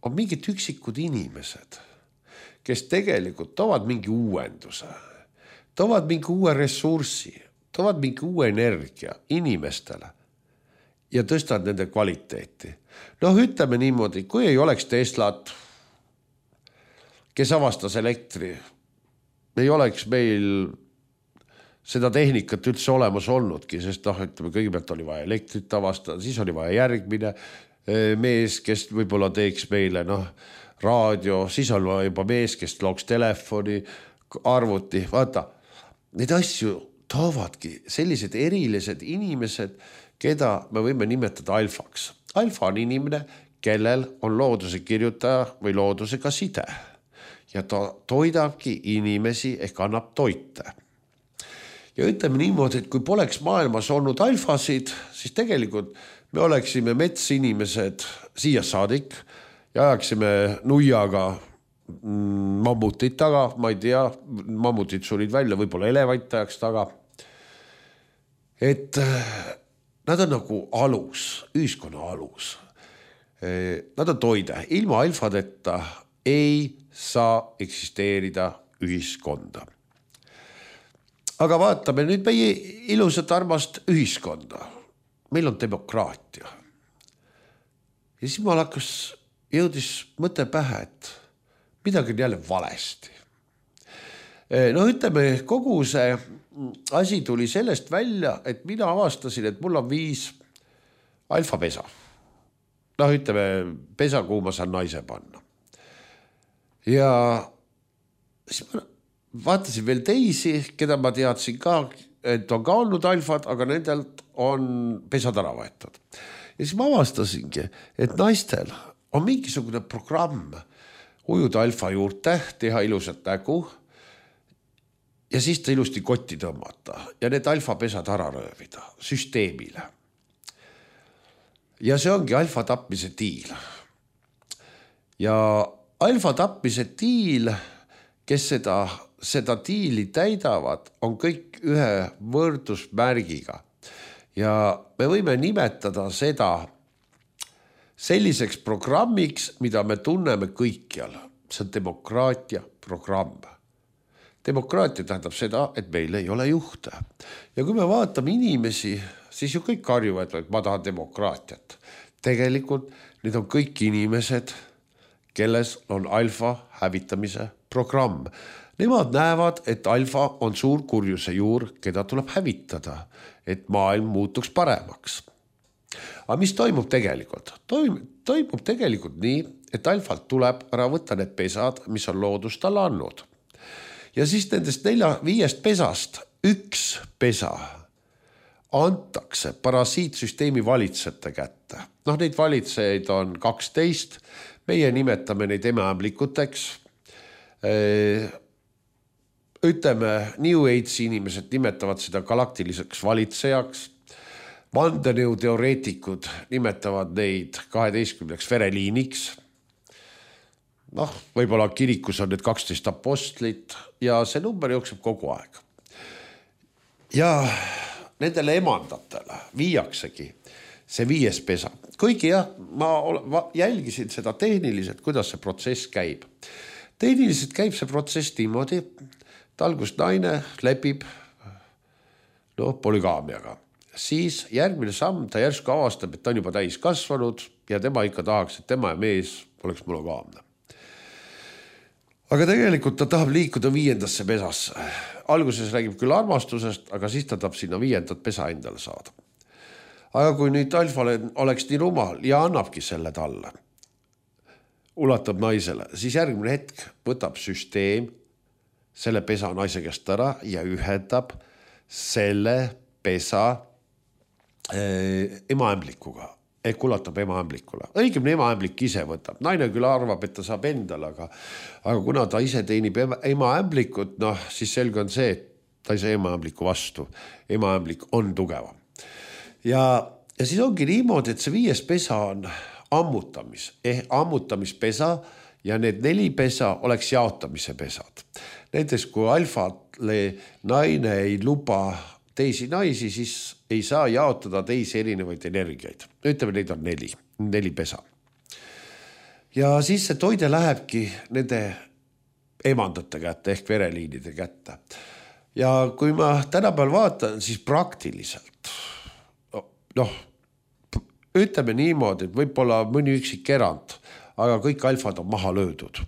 on mingid üksikud inimesed, kes tegelikult toovad mingi uuenduse, toovad mingi uue ressurssi, toovad mingi uue energia inimestele ja tõstavad nende kvaliteeti. Ütleme niimoodi, kui ei oleks Teslat, kes avastas elektri, ei oleks meil seda tehnikat üldse olemas olnudki, sest ütleme, kõigepealt oli vaja elektrit avastada, siis oli vaja järgmine mees, kes võib-olla teeks meile raadio, siis on juba mees, kes looks telefoni, arvuti, vaata, need asju toovadki sellised erilised inimesed, keda me võime nimetada alfaks. Alfa on inimene, kellel on looduse kirjutaja või loodusega side ja ta toidabki inimesi ehk annab toite. Ja ütleme niimoodi, et kui poleks maailmas olnud alfasid, siis tegelikult me oleksime metsinimesed siia saadik ja ajaksime nuiaga mammutit taga, ma ei tea, mammutid sulid välja, võib-olla elevant ajaks taga. Et nad on nagu alus, ühiskonna alus. Nad on toide, ilma alfadeta ei saa eksisteerida ühiskonda. Aga vaatame nüüd meie ilusat armast ühiskonda. Meil on demokraatia. Ja siis mul jõudis mõte pähe, et midagi on jälle valesti. Ütleme, kogu see asi tuli sellest välja, et mina avastasin, et mul on 5 alfapesa. Ütleme, pesa, kuhu ma saan naise panna. Ja siis ma vaatasin veel teisi, keda ma teadsin ka, et on ka olnud alfad, aga nendelt on pesad ära võetud. Ja siis ma avastasingi, et naistel on mingisugune programm ujuda alfa juurde, teha ilusat nägu ja siis ta ilusti kotti tõmmata ja need alfapesad ära röövida süsteemile. Ja see ongi alfa tapmise tiil. Ja alfa tapmise tiil, kes seda tiili täidavad, on kõik ühe võrdusmärgiga. Ja me võime nimetada seda selliseks programmiks, mida me tunneme kõikjal. See on demokraatia programm. Demokraatia tähendab seda, et meil ei ole juhte. Ja kui me vaatame inimesi, siis ju kõik karjuvad, et ma tahan demokraatiat. Tegelikult need on kõik inimesed, kelles on alfa hävitamise programm. Nemad näevad, et alfa on suur kurjuse juur, keda tuleb hävitada, et maailm muutuks paremaks. Aga mis toimub tegelikult? Toimub tegelikult nii, et alfalt tuleb ära võtta need pesad, mis on loodus talle andnud. Ja siis nendest 4-5 pesast 1 pesa antakse parasiitsüsteemi valitsejate kätte. Neid valitsejaid on 12, meie nimetame neid emeämblikuteks. Ütleme, New Age inimesed nimetavad seda galaktiliseks valitsejaks. Vandenõu teoreetikud nimetavad neid 12 vereliiniks. Võib-olla kirikus on need 12 apostlit ja see number jookseb kogu aeg. Ja nendele emandatele viiaksegi see 5. pesa. Kuigi jah, ma jälgisin seda tehniliselt, kuidas see protsess käib. Tehniliselt käib see protsess niimoodi, et algust naine lepib polügaamiaga. Siis järgmine samm, ta järsku avastab, et ta on juba täis kasvanud ja tema ikka tahaks, et tema ja mees oleks monogaamne. Aga tegelikult ta tahab liikuda 5. pesasse. Alguses räägib küll armastusest, aga siis ta tahab sinna 5. pesa endale saada. Aga kui nüüd alfale oleks nii rumal ja annabki selle talle, ulatab naisele, siis järgmine hetk võtab süsteem selle pesa naise käest ära ja ühendab selle pesa emaämblikuga. Ehk ulatab emaämblikule. Õigemini emaämblik ise võtab. Naine küll arvab, et ta saab endale, aga kuna ta ise teenib emaämblikut, siis selge on see, et ta ei saa emaämbliku vastu. Emaämblik on tugevam. Ja siis ongi niimoodi, et see 5. pesa on ammutamispesa ja need 4 pesa oleks jaotamise pesad. Näiteks kui alfale naine ei luba teisi naisi, siis ei saa jaotada teisi erinevaid energiaid. Ütleme, neid on 4 pesa. Ja siis see toide lähebki nende emandate kätte ehk vereliinide kätte. Ja kui ma tänapäeval vaatan, siis praktiliselt, ütleme niimoodi, et võib-olla mõni üksik erand, aga kõik alfad on maha löödud.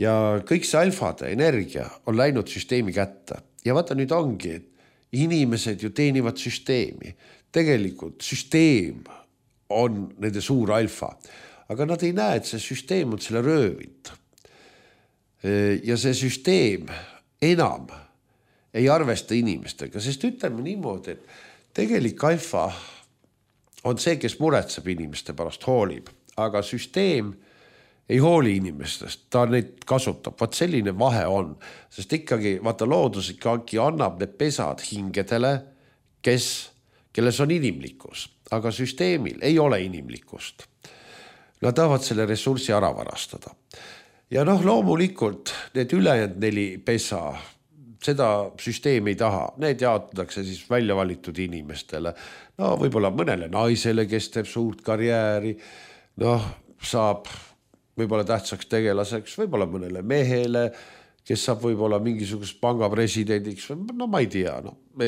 Ja kõik see alfade energia on läinud süsteemi kätte. Ja vaata nüüd ongi, et inimesed ju teenivad süsteemi. Tegelikult süsteem on nende suur alfa, aga nad ei näe, et see süsteem on selle röövinud. Ja see süsteem enam ei arvesta inimestega, sest ütleme niimoodi, et tegelik alfa on see, kes muretseb inimeste pärast, hoolib, aga süsteem ei hooli inimestest, ta neid kasutab. Vaat selline vahe on, sest ikkagi vaata loodus ikkagi annab need pesad hingedele, kelles on inimlikkus, aga süsteemil ei ole inimlikkust. Nad tahavad selle ressurssi ära varastada. Ja loomulikult need ülejäänud 4 pesa, seda süsteem ei taha. Need jaotatakse siis välja valitud inimestele. Võib-olla mõnele naisele, kes teeb suurt karjääri, saab võib-olla tähtsaks tegelaseks, võib-olla mõnele mehele, kes saab võib-olla mingisugust panga presidendiks, ma ei tea,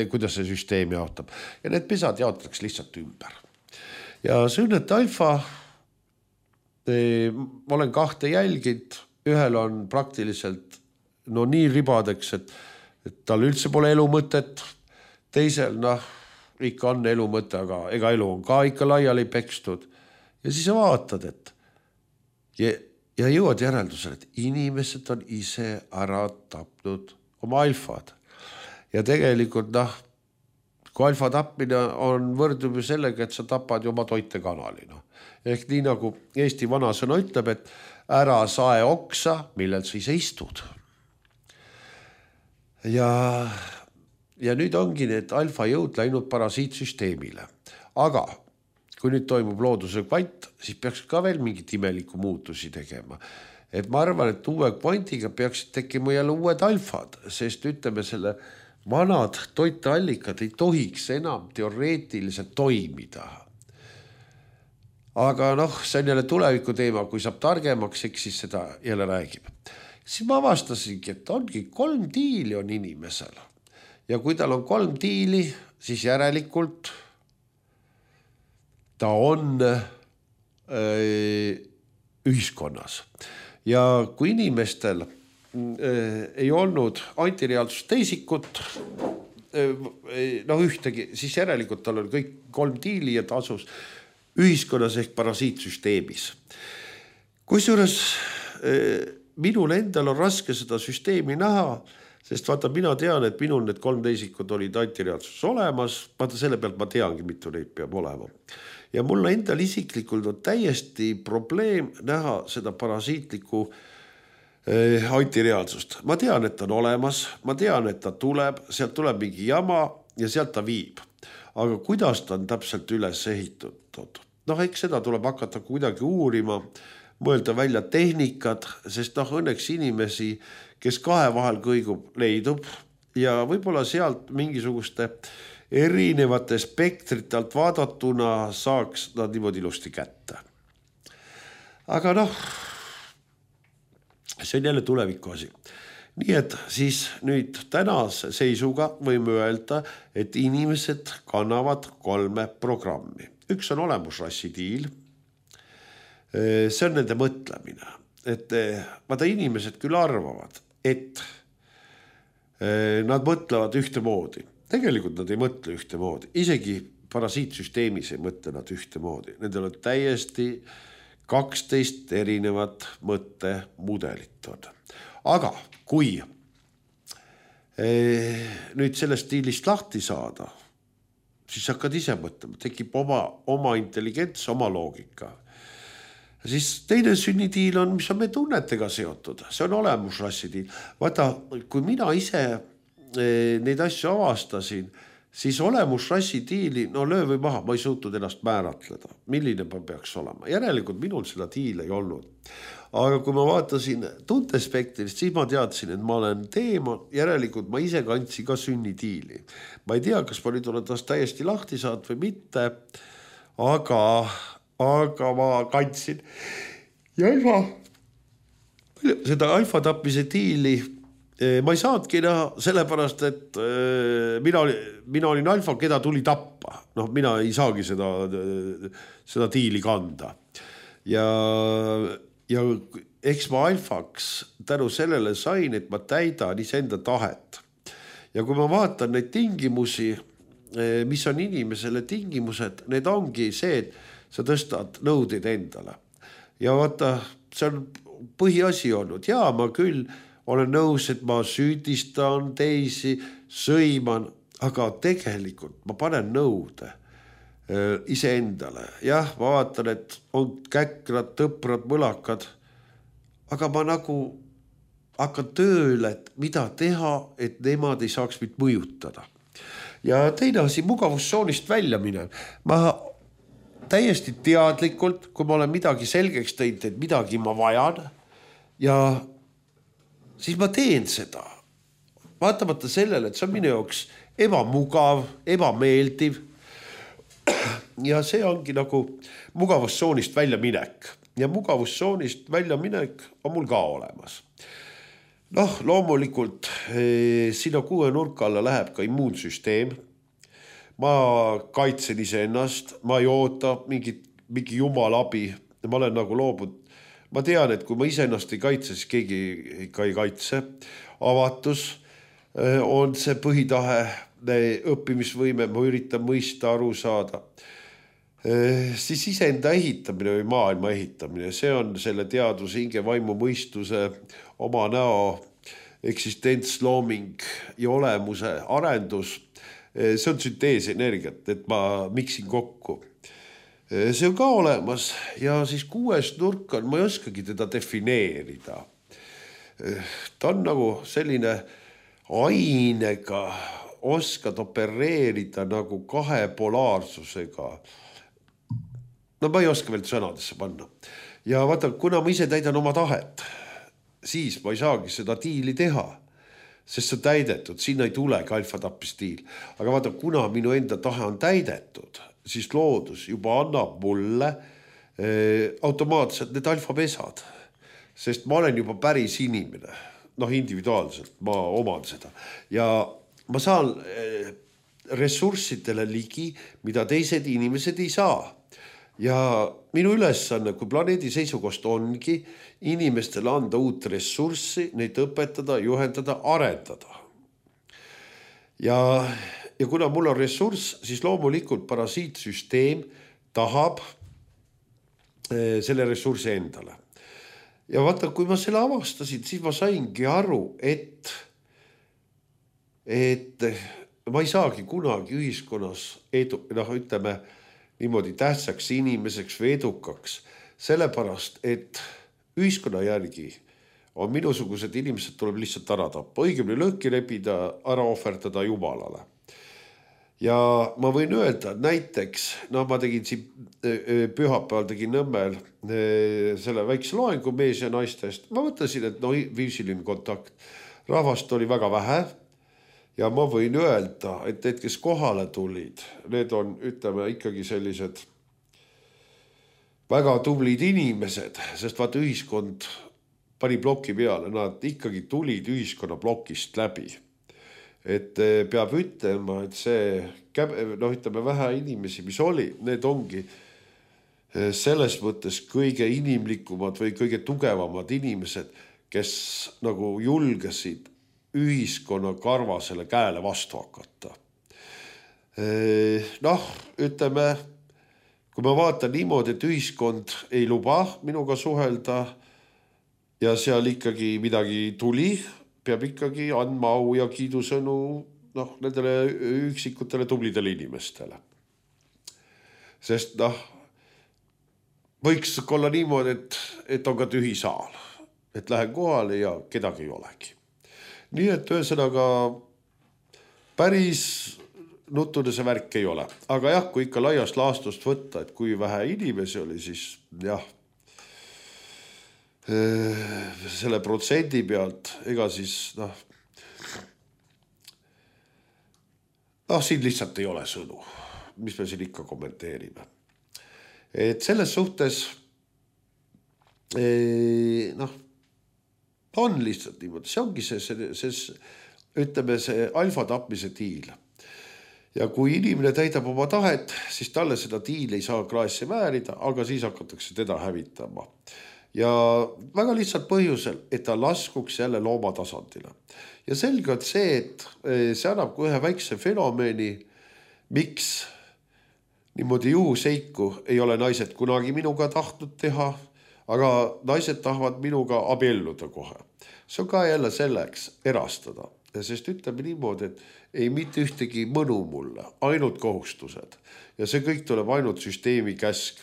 kuidas see süsteem jaotab. Ja need pesad jaotatakse lihtsalt ümber. Ja see õnnete alfa, ma olen 2 jälginud, ühel on praktiliselt nii ribadeks, et tal üldse pole elu mõtet, teisel ikka on elu mõte, aga ega elu on ka ikka laiali pekstud. Ja siis sa vaatad, et ja jõuad järeldusele, et inimesed on ise ära tapnud oma alfad. Ja tegelikult, kui alfa tapmine on võrdub ju sellega, et sa tapad ju oma toitekanali. Ehk nii nagu Eesti vanasõna ütleb, et ära sae oksa, millel sa ise istud. Ja nüüd ongi need alfa jõud läinud parasiitsüsteemile. Aga kui nüüd toimub looduse kvant, siis peaks ka veel mingit imeliku muutusi tegema. Et ma arvan, et uue kvantiga peaks tekkima jälle uued alfad, sest ütleme selle vanad toiteallikad ei tohiks enam teoreetiliselt toimida. Aga see on jälle tuleviku teema, kui saab targemaks, eks siis seda jälle räägib. Siis ma avastasingi, et ongi 3 tiili on inimesel. Ja kui tal on 3 tiili, siis järelikult ta on ühiskonnas. Ja kui inimestel ei olnud antireaalsust teisikut, ühtegi, siis järelikult tal on kõik 3 tiili ja ta asus ühiskonnas ehk parasiitsüsteemis. Kusjuures minul endal on raske seda süsteemi näha, sest vaata, mina tean, et minul need 3 teisikud olid antireaalsus olemas, vaata selle pealt ma teangi, mitu neid peab olema. Ja mulle endal isiklikult on täiesti probleem näha seda parasiitlikku antireaalsust. Ma tean, et ta on olemas, ma tean, et ta tuleb, sealt tuleb mingi jama ja sealt ta viib. Aga kuidas ta on täpselt üles ehitatud? Eks seda tuleb hakata kuidagi uurima, mõelda välja tehnikad, sest õnneks inimesi, kes 2 vahel kõigub, leidub ja võib-olla sealt mingisuguste erinevate spektrite alt vaadatuna saaks nad niimoodi ilusti kätte. Aga see on jälle tuleviku asi. Nii et siis nüüd tänase seisuga võime öelda, et inimesed kannavad 3 programmi. Üks on olemusrassi diil. See on nende mõtlemine. Et vaata inimesed küll arvavad, et nad mõtlevad ühtemoodi. Tegelikult nad ei mõtle ühtemoodi. Isegi parasiitsüsteemis ei mõtle nad ühtemoodi. Nendel on täiesti 12 erinevat mõttemudelit on. Aga kui nüüd sellest stiilist lahti saada, siis hakkad ise mõtlema, tekib oma intelligents, oma loogika. Siis teine sünnitiil on, mis on meie tunnetega seotud. See on olemusrassi tiil. Vaata, kui mina ise neid asju avastasin, siis olemusrassi tiili, löö või maha, ma ei suutnud ennast määratleda. Milline ma peaks olema? Järelikult minul seda tiil ei olnud. Aga kui ma vaatasin tuntespektrist, siis ma teadsin, et ma olen teemal, järelikult ma ise kandsin ka sünnitiili. Ma ei tea, kas ma nüüd olen tast täiesti lahti saanud või mitte, aga ma kandsin. Ja seda alfa tapmise tiili ma ei saadki näha sellepärast, et mina olin alfa, keda tuli tappa. Mina ei saagi seda tiili kanda. Ja eks ma alfaks tänu sellele sain, et ma täidan iseenda tahet. Ja kui ma vaatan neid tingimusi, mis on inimesele tingimused, need ongi see, et sa tõstad nõudeid endale. Ja vaata, see on põhiasi olnud. Ja ma küll olen nõus, et ma süüdistan teisi, sõiman, aga tegelikult ma panen nõude iseendale. Jah, ma vaatan, et on käkrad, tõprad, mõlakad, aga ma nagu hakkan tööle, et mida teha, et nemad ei saaks mind mõjutada. Ja teine asi, mugavustsoonist välja minev. Ma täiesti teadlikult, kui ma olen midagi selgeks teinud, et midagi ma vajan ja siis ma teen seda. Vaatamata sellele, et see on minu jaoks ebamugav, ebameeldiv. Ja see ongi nagu mugavustsoonist välja minek. Ja mugavustsoonist välja minek on mul ka olemas. Loomulikult sinna 6 nurka alla läheb ka immuunsüsteem. Ma kaitsen iseennast, ma ei oota mingi jumala abi. Ma olen nagu loobud. Ma tean, et kui ma iseennast ei kaitse, siis keegi ikka ei kaitse. Avatus on see põhitahe, õppimisvõime, ma üritan mõista, aru saada. Siis iseenda ehitamine või maailma ehitamine, see on selle teaduse, hinge, vaimu, mõistuse, oma näo, eksistents, looming ja olemuse arendus. See on sünteesenergiat, et ma miksin kokku. See on ka olemas ja siis 6 nurk on, ma ei oskagi teda defineerida. Ta on nagu selline ainega, oskad opereerida nagu 2 polaarsusega. Ma ei oska veel sõnadesse panna. Ja vaata, kuna ma ise täidan oma tahet, siis ma ei saagi seda tiili teha, sest see on täidetud, sinna ei tulegi alfa-tappistiil. Aga vaata, kuna minu enda tahe on täidetud, siis loodus juba annab mulle automaatselt need alfapesad, sest ma olen juba päris inimene, individuaalselt, ma oman seda. Ja ma saan ressurssidele ligi, mida teised inimesed ei saa. Ja minu ülesanne, kui planeedi seisukost ongi inimestele anda uut ressurssi, neid õpetada, juhendada, arendada. Ja kuna mul on ressurss, siis loomulikult parasiitsüsteem tahab selle ressursi endale. Ja vaata, kui ma selle avastasin, siis ma saingi aru, et ma ei saagi kunagi ühiskonnas ütleme niimoodi tähtsaks inimeseks või edukaks, sellepärast, et ühiskonna järgi on minusugused inimesed tuleb lihtsalt ära tappa, õigemini lõhki rebida, ära ohverdada Jumalale. Ja ma võin öelda, et näiteks, ma tegin siin pühapäeval tegin Nõmmel selle väikse loengu mees ja naistest. Ma mõtlesin, et viisiline kontakt. Rahvast oli väga vähe ja ma võin öelda, et need, kes kohale tulid, need on, ütleme, ikkagi sellised väga tublid inimesed, sest vaata ühiskond pani ploki peale, nad ikkagi tulid ühiskonna plokist läbi. Et peab ütlema, et see, ütleme, vähe inimesi, mis oli, need ongi selles mõttes kõige inimlikumad või kõige tugevamad inimesed, kes nagu julgesid ühiskonna karvasele käele vastu hakata. Ütleme, kui ma vaatan niimoodi, et ühiskond ei luba minuga suhelda ja seal ikkagi midagi tuli, peab ikkagi andma au ja kiidusõnu nendele üksikutele tublidele inimestele. Sest võiks olla niimoodi, et on ka tühi saal, et lähen kohale ja kedagi ei olegi. Nii et ühesõnaga päris nuttude see värk ei ole. Aga jah, kui ikka laiast laastust võtta, et kui vähe inimesi oli, siis jah, selle protsendi pealt, ega siis siin lihtsalt ei ole sõnu, mis me siin ikka kommenteerime. Et selles suhtes on lihtsalt niimoodi, see ongi ütleme see alfa tapmise diil. Ja kui inimene täidab oma tahet, siis talle seda diili ei saa kraesse määrida, aga siis hakatakse teda hävitama. Ja väga lihtsalt põhjusel, et ta laskuks jälle looma tasandile. Ja selge on see, et see annab kui ühe väikse fenomeni, miks niimoodi juhuseiku ei ole naised kunagi minuga tahtnud teha, aga naised tahavad minuga abielluda kohe. See on ka jälle selleks erastada. Sest ütleme niimoodi, et ei mitte ühtegi mõnu mulle, ainult kohustused. Ja see kõik tuleb ainult süsteemi käsk.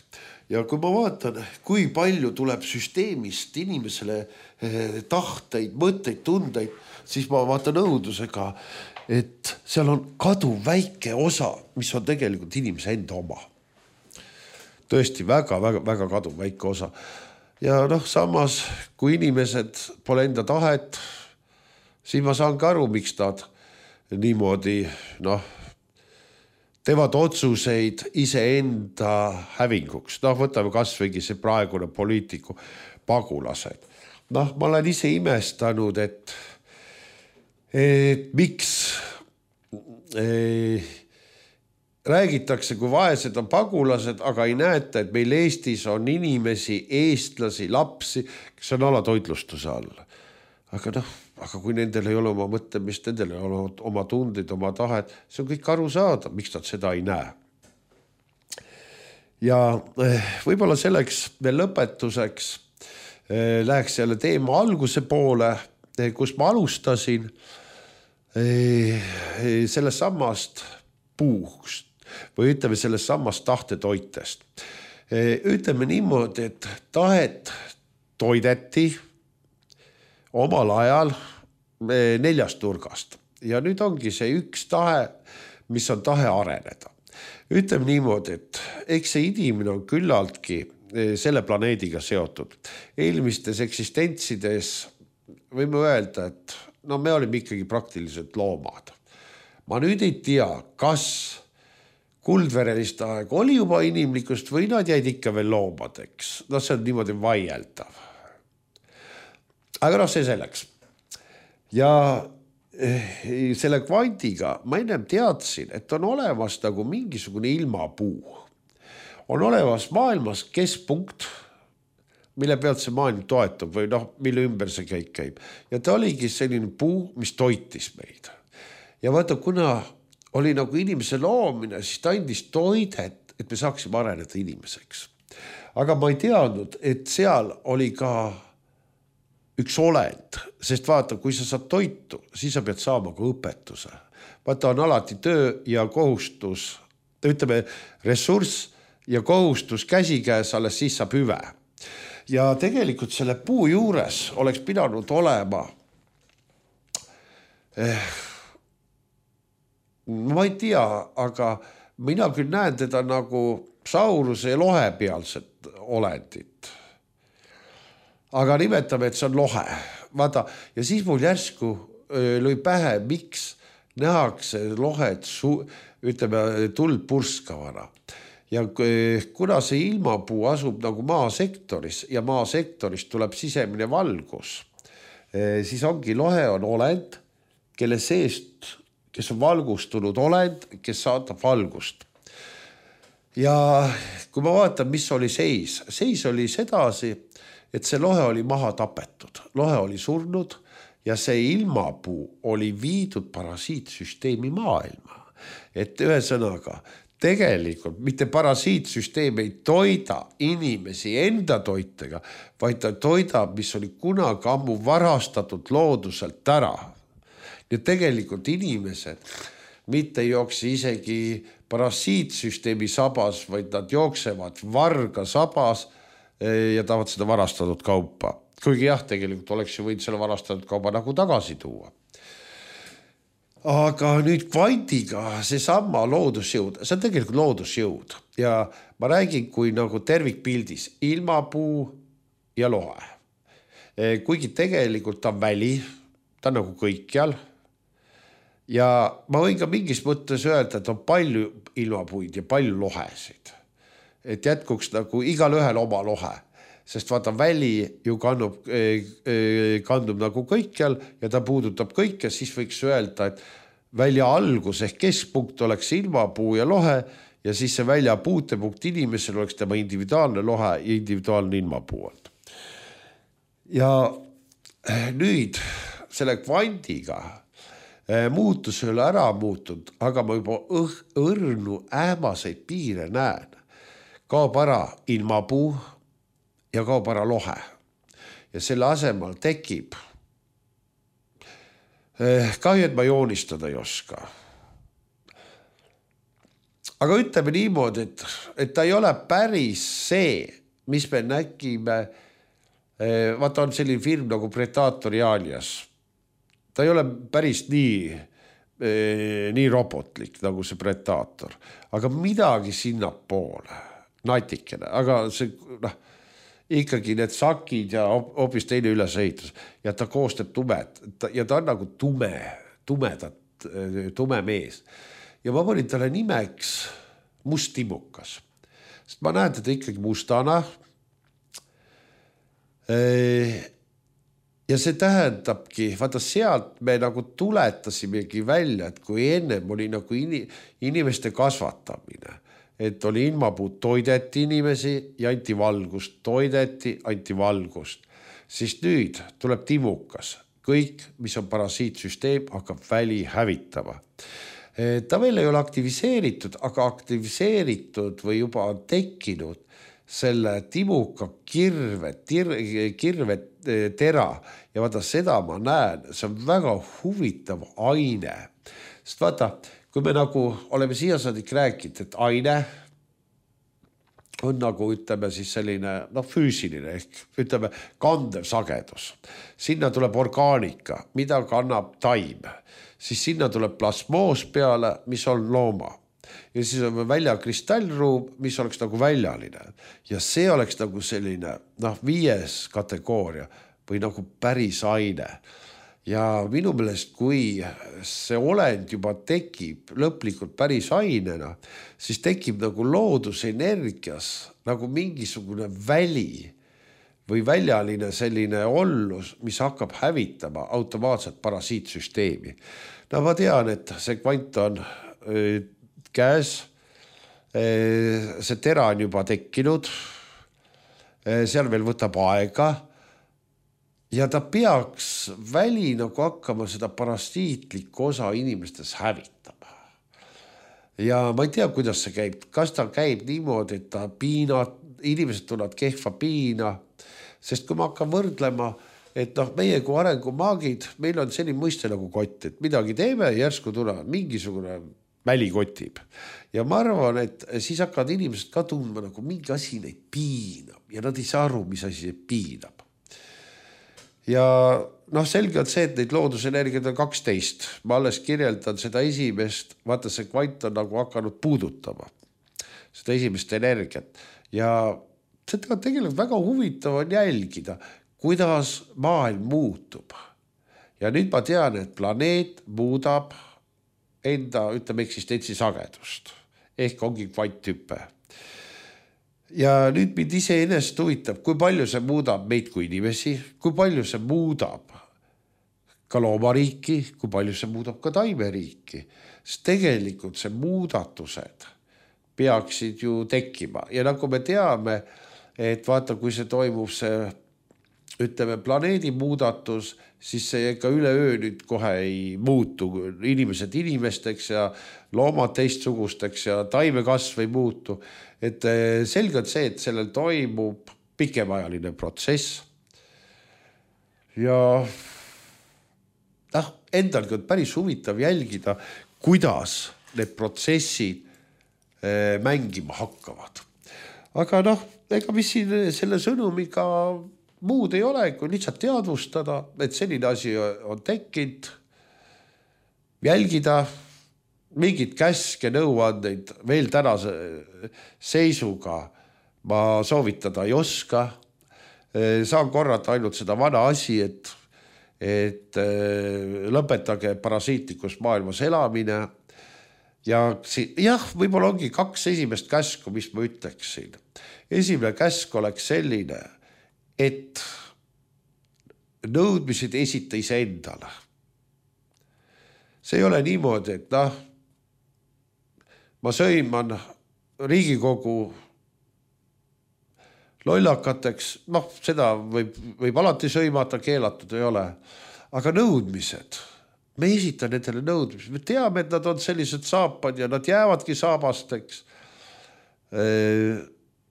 Ja kui ma vaatan, kui palju tuleb süsteemist inimesele tahteid, mõtteid, tundeid, siis ma vaatan õudusega, et seal on kaduv väike osa, mis on tegelikult inimese enda oma. Tõesti väga, väga, väga kaduv väike osa. Ja samas, kui inimesed pole enda tahet, siis ma saan ka aru, miks nad niimoodi, teevad otsuseid iseenda hävinguks. Võtame kasvõigi see praegune poliitiku pagulased. Ma olen ise imestanud, et miks räägitakse, kui vaesed on pagulased, aga ei näeta, et meil Eestis on inimesi, eestlasi, lapsi, kes on alatoitlustuse all. Aga kui nendel ei ole oma mõtlemist, nendel ei ole oma tundid, oma tahet, see on kõik aru saada, miks nad seda ei näe. Ja võib-olla selleks veel lõpetuseks läheks jälle teema alguse poole, kus ma alustasin sellest sammast puust või ütleme sellest sammast tahtetoitest. Ütleme niimoodi, et tahet toideti omal ajal 4 nurgast. Ja nüüd ongi see üks tahe, mis on tahe areneda. Ütleme niimoodi, et eks see inimene on küllaltki selle planeediga seotud. Eelmistes eksistentsides võime öelda, et me olime ikkagi praktiliselt loomad. Ma nüüd ei tea, kas kuldverelist aeg oli juba inimlikust või nad jäid ikka veel loomadeks. See on niimoodi vaieldav. Aga see selleks. Ja selle kvandiga ma ennem teadsin, et on olemas nagu mingisugune ilmapuu. On olemas maailmas keskpunkt, mille pealt see maailm toetub või mille ümber see kõik käib. Ja ta oligi selline puu, mis toitis meid. Ja vaata, kuna oli nagu inimese loomine, siis ta andis toidet, et me saaksime areneda inimeseks. Aga ma ei teadnud, et seal oli ka üks olend, sest vaata, kui sa saad toitu, siis sa pead saama ka õpetuse. Vaata, on alati töö ja kohustus, ütleme ressurss ja kohustus käsikäes, alles siis saab hüve. Ja tegelikult selle puu juures oleks pidanud olema, ma ei tea, aga mina küll näen teda nagu sauruse ja lohe pealset olendit. Aga nimetame, et see on lohe. Vaata, ja siis mul järsku lõi pähe, miks nähakse lohed ütleme tuld purskavana. Ja kuna see ilmapuu asub nagu maasektoris ja maasektoris tuleb sisemine valgus, siis ongi lohe on olend, kelle seest, kes on valgustunud olend, kes saadab valgust. Ja kui ma vaatan, mis oli seis oli sedasi, et see lohe oli maha tapetud, lohe oli surnud ja see ilmapuu oli viidud parasiitsüsteemi maailma. Et ühesõnaga, tegelikult mitte parasiitsüsteem ei toida inimesi enda toitega, vaid ta toidab, mis oli kunagi ammu varastatud looduselt ära. Ja tegelikult inimesed mitte ei jookse isegi parasiitsüsteemi sabas, vaid nad jooksevad varga sabas ja tahavad seda varastatud kaupa. Kuigi jah, tegelikult oleks ju võinud selle varastatud kauba nagu tagasi tuua. Aga nüüd kvandiga see sama loodusjõud, see on tegelikult loodusjõud ja ma räägin kui nagu tervikpildis ilmapuu ja lohe. Kuigi tegelikult ta on väli, ta on nagu kõikjal ja ma võin ka mingis mõttes öelda, et on palju ilmapuid ja palju lohesid. Et jätkuks nagu igal ühel oma lohe, sest vaata väli ju kandub nagu kõikjal ja ta puudutab kõike, siis võiks öelda, et välja algus ehk keskpunkt oleks ilmapuu ja lohe ja siis see välja puutepunkt inimesel oleks tema individuaalne lohe ja individuaalne ilmapuu. Ja nüüd selle kvandiga muutus ei ole ära muutunud, aga ma juba õrnu ähmaseid piire näen. Kaob ära ilmapuu ja kaob ära lohe. Ja selle asemel tekib kahju, et ma joonistada ei oska. Aga ütleme niimoodi, et ta ei ole päris see, mis me nägime. Vaata on selline film nagu Predator Alias. Ta ei ole päris nii robotlik nagu see Predator, aga midagi sinna poole, natikene, aga see ikkagi need sakid ja hoopis teine ülesehitus ja ta koostab tumed ja ta on nagu tume mees. Ja ma panin talle nimeks Must timukas, sest ma näen teda ikkagi mustana. Ja see tähendabki, vaata sealt me nagu tuletasimegi välja, et kui ennem oli nagu inimeste kasvatamine, et oli ilmapuud toideti inimesi ja anti valgust, toideti, anti valgust. Siis nüüd tuleb timukas. Kõik, mis on parasiitsüsteem, hakkab väli hävitama. Ta veel ei ole aktiviseeritud, aga aktiviseeritud või juba on tekkinud selle timuka kirve tera ja vaata seda ma näen, see on väga huvitav aine. Sest vaata, kui me nagu oleme siiasaadik rääkinud, et aine on nagu ütleme siis selline füüsiline ehk ütleme kandev sagedus. Sinna tuleb orgaanika, mida kannab taim. Siis sinna tuleb plasmoos peale, mis on looma. Ja siis on välja kristallruum, mis oleks nagu väljaline. Ja see oleks nagu selline 5. kategooria või nagu päris aine. Ja minu meelest, kui see olend juba tekib lõplikult päris ainena, siis tekib nagu loodusenergias nagu mingisugune väli või väljaline selline ollus, mis hakkab hävitama automaatselt parasiitsüsteemi. Ma tean, et see kvant on käes, see tera on juba tekkinud, seal veel võtab aega, ja ta peaks väli nagu hakkama seda parasiitlikku osa inimestes hävitama. Ja ma ei tea, kuidas see käib. Kas ta käib niimoodi, et ta inimesed tulevad kehva piina, sest kui ma hakkan võrdlema, et meie kui arengumaagid, meil on selline mõiste nagu kott, et midagi teeme ja järsku tulevad mingisugune väli kotib. Ja ma arvan, et siis hakkavad inimesed ka tundma nagu mingi asi neid piinab ja nad ei saa aru, mis asi piinab. Ja selge on see, et neid loodusenergiad on 12. Ma alles kirjeldan seda esimest, vaata see kvant on nagu hakanud puudutama seda esimest energiat. Ja seda tegelikult väga huvitav on jälgida, kuidas maailm muutub. Ja nüüd ma tean, et planeet muudab enda, ütleme, eksistentsi sagedust. Ehk ongi kvanthüpe. Ja nüüd mind iseenesest huvitab, kui palju see muudab meid kui inimesi, kui palju see muudab ka loomariiki, kui palju see muudab ka taimeriiki. Sest tegelikult see muudatused peaksid ju tekkima. Ja nagu me teame, et vaata, kui see toimub see, ütleme, planeedi muudatus, siis see ka üleöö nüüd kohe ei muutu. Inimesed inimesteks ja loomad teistsugusteks ja taimekasv ei muutu. Et selgelt see, et sellel toimub pikemajaline protsess. Ja endalgi on päris huvitav jälgida, kuidas need protsessid mängima hakkavad. Aga ega mis siin selle sõnumiga muud ei ole, kui lihtsalt teadvustada, et selline asi on tekkinud, jälgida, mingid käske nõuandeid veel tänase seisuga ma soovitada ei oska. Saan korrata ainult seda vana asi, et lõpetage parasiitlikus maailmas elamine. Ja võib-olla ongi 2 esimest käsku, mis ma ütleksin. Esimene käsk oleks selline, et nõudmised esita ise endale. See ei ole niimoodi, et ma sõiman Riigikogu lollakateks, seda võib alati sõimata, keelatud ei ole. Aga nõudmised, me esita nendele nõudmised, me teame, et nad on sellised saapad ja nad jäävadki saabasteks.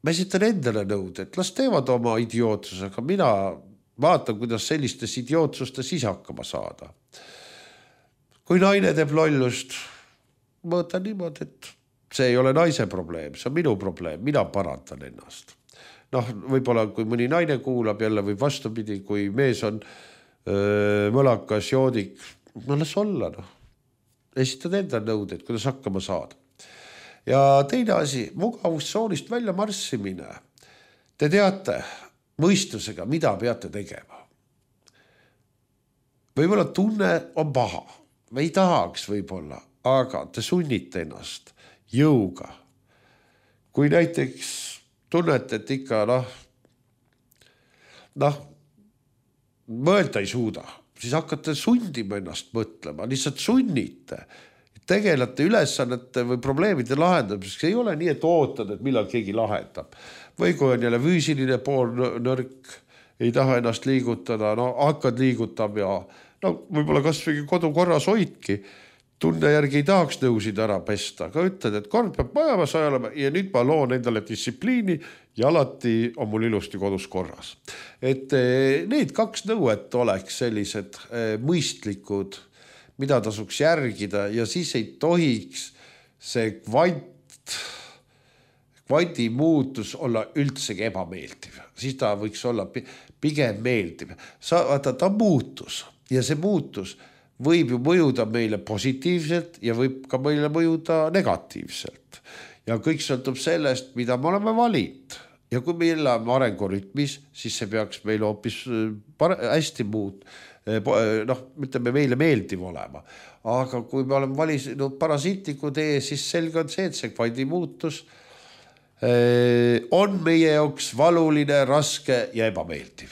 Ma esitan endale nõud, et las teevad oma idiootsusega, mina vaatan, kuidas sellistes idiootsustes ise hakkama saada. Kui naine teeb lollust, ma võtan niimoodi, et see ei ole naise probleem, see on minu probleem, mina parandan ennast. Võib-olla kui mõni naine kuulab jälle või vastupidi, kui mees on mõlakas, joodik, las olla. Esitad enda nõudeid, kuidas hakkama saada. Ja teine asi, mugavustsoonist välja marssimine. Te teate mõistusega, mida peate tegema. Võib-olla tunne on paha. Me ei tahaks võib-olla, aga te sunnite ennast jõuga. Kui näiteks tunnete, et ikka mõelda ei suuda, siis hakkate sundima ennast mõtlema, lihtsalt sunnite. Tegelete ülesannete või probleemide lahendamiseks. Ei ole nii, et ootad, et millal keegi lahendab. Või kui on jälle füüsiline pool nõrk, ei taha ennast liigutada, hakkad liigutab ja võib-olla kas või kodukorras hoidki. Tunne järgi ei tahaks nõusid ära pesta, aga ütled, et kord peab majamas ajalema ja nüüd ma loon endale distsipliini ja alati on mul ilusti kodus korras. Et need 2 nõuet oleks sellised mõistlikud, mida tasuks järgida ja siis ei tohiks see kvanti muutus olla üldsegi ebameeldiv. Siis ta võiks olla pigem meeldiv. Ta muutus ja see muutus võib ju mõjuda meile positiivselt ja võib ka meile mõjuda negatiivselt. Ja kõik sõltub sellest, mida me oleme valinud. Ja kui me elame arengurütmis, siis see peaks meile hoopis hästi muud. Ütleme meile meeldiv olema. Aga kui me oleme valinud parasiitliku tee, siis selge on see, et see kvanti muutus on meie jaoks valuline, raske ja ebameeldiv.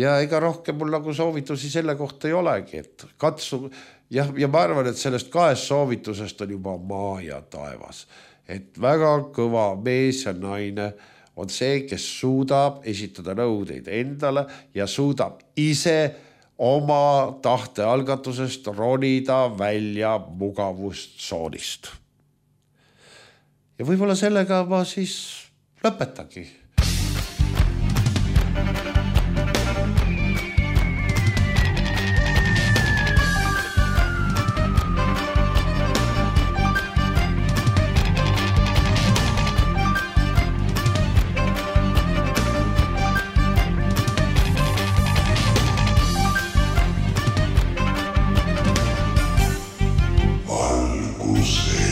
Ja ega rohkem mul nagu soovitusi selle kohta ei olegi, et katsu, ja ma arvan, et sellest 2 soovitusest on juba maa ja taevas. Et väga kõva mees ja naine on see, kes suudab esitada nõudeid endale ja suudab ise oma tahtealgatusest ronida välja mugavustsoonist. Ja võib-olla sellega ma siis lõpetagi. Valguse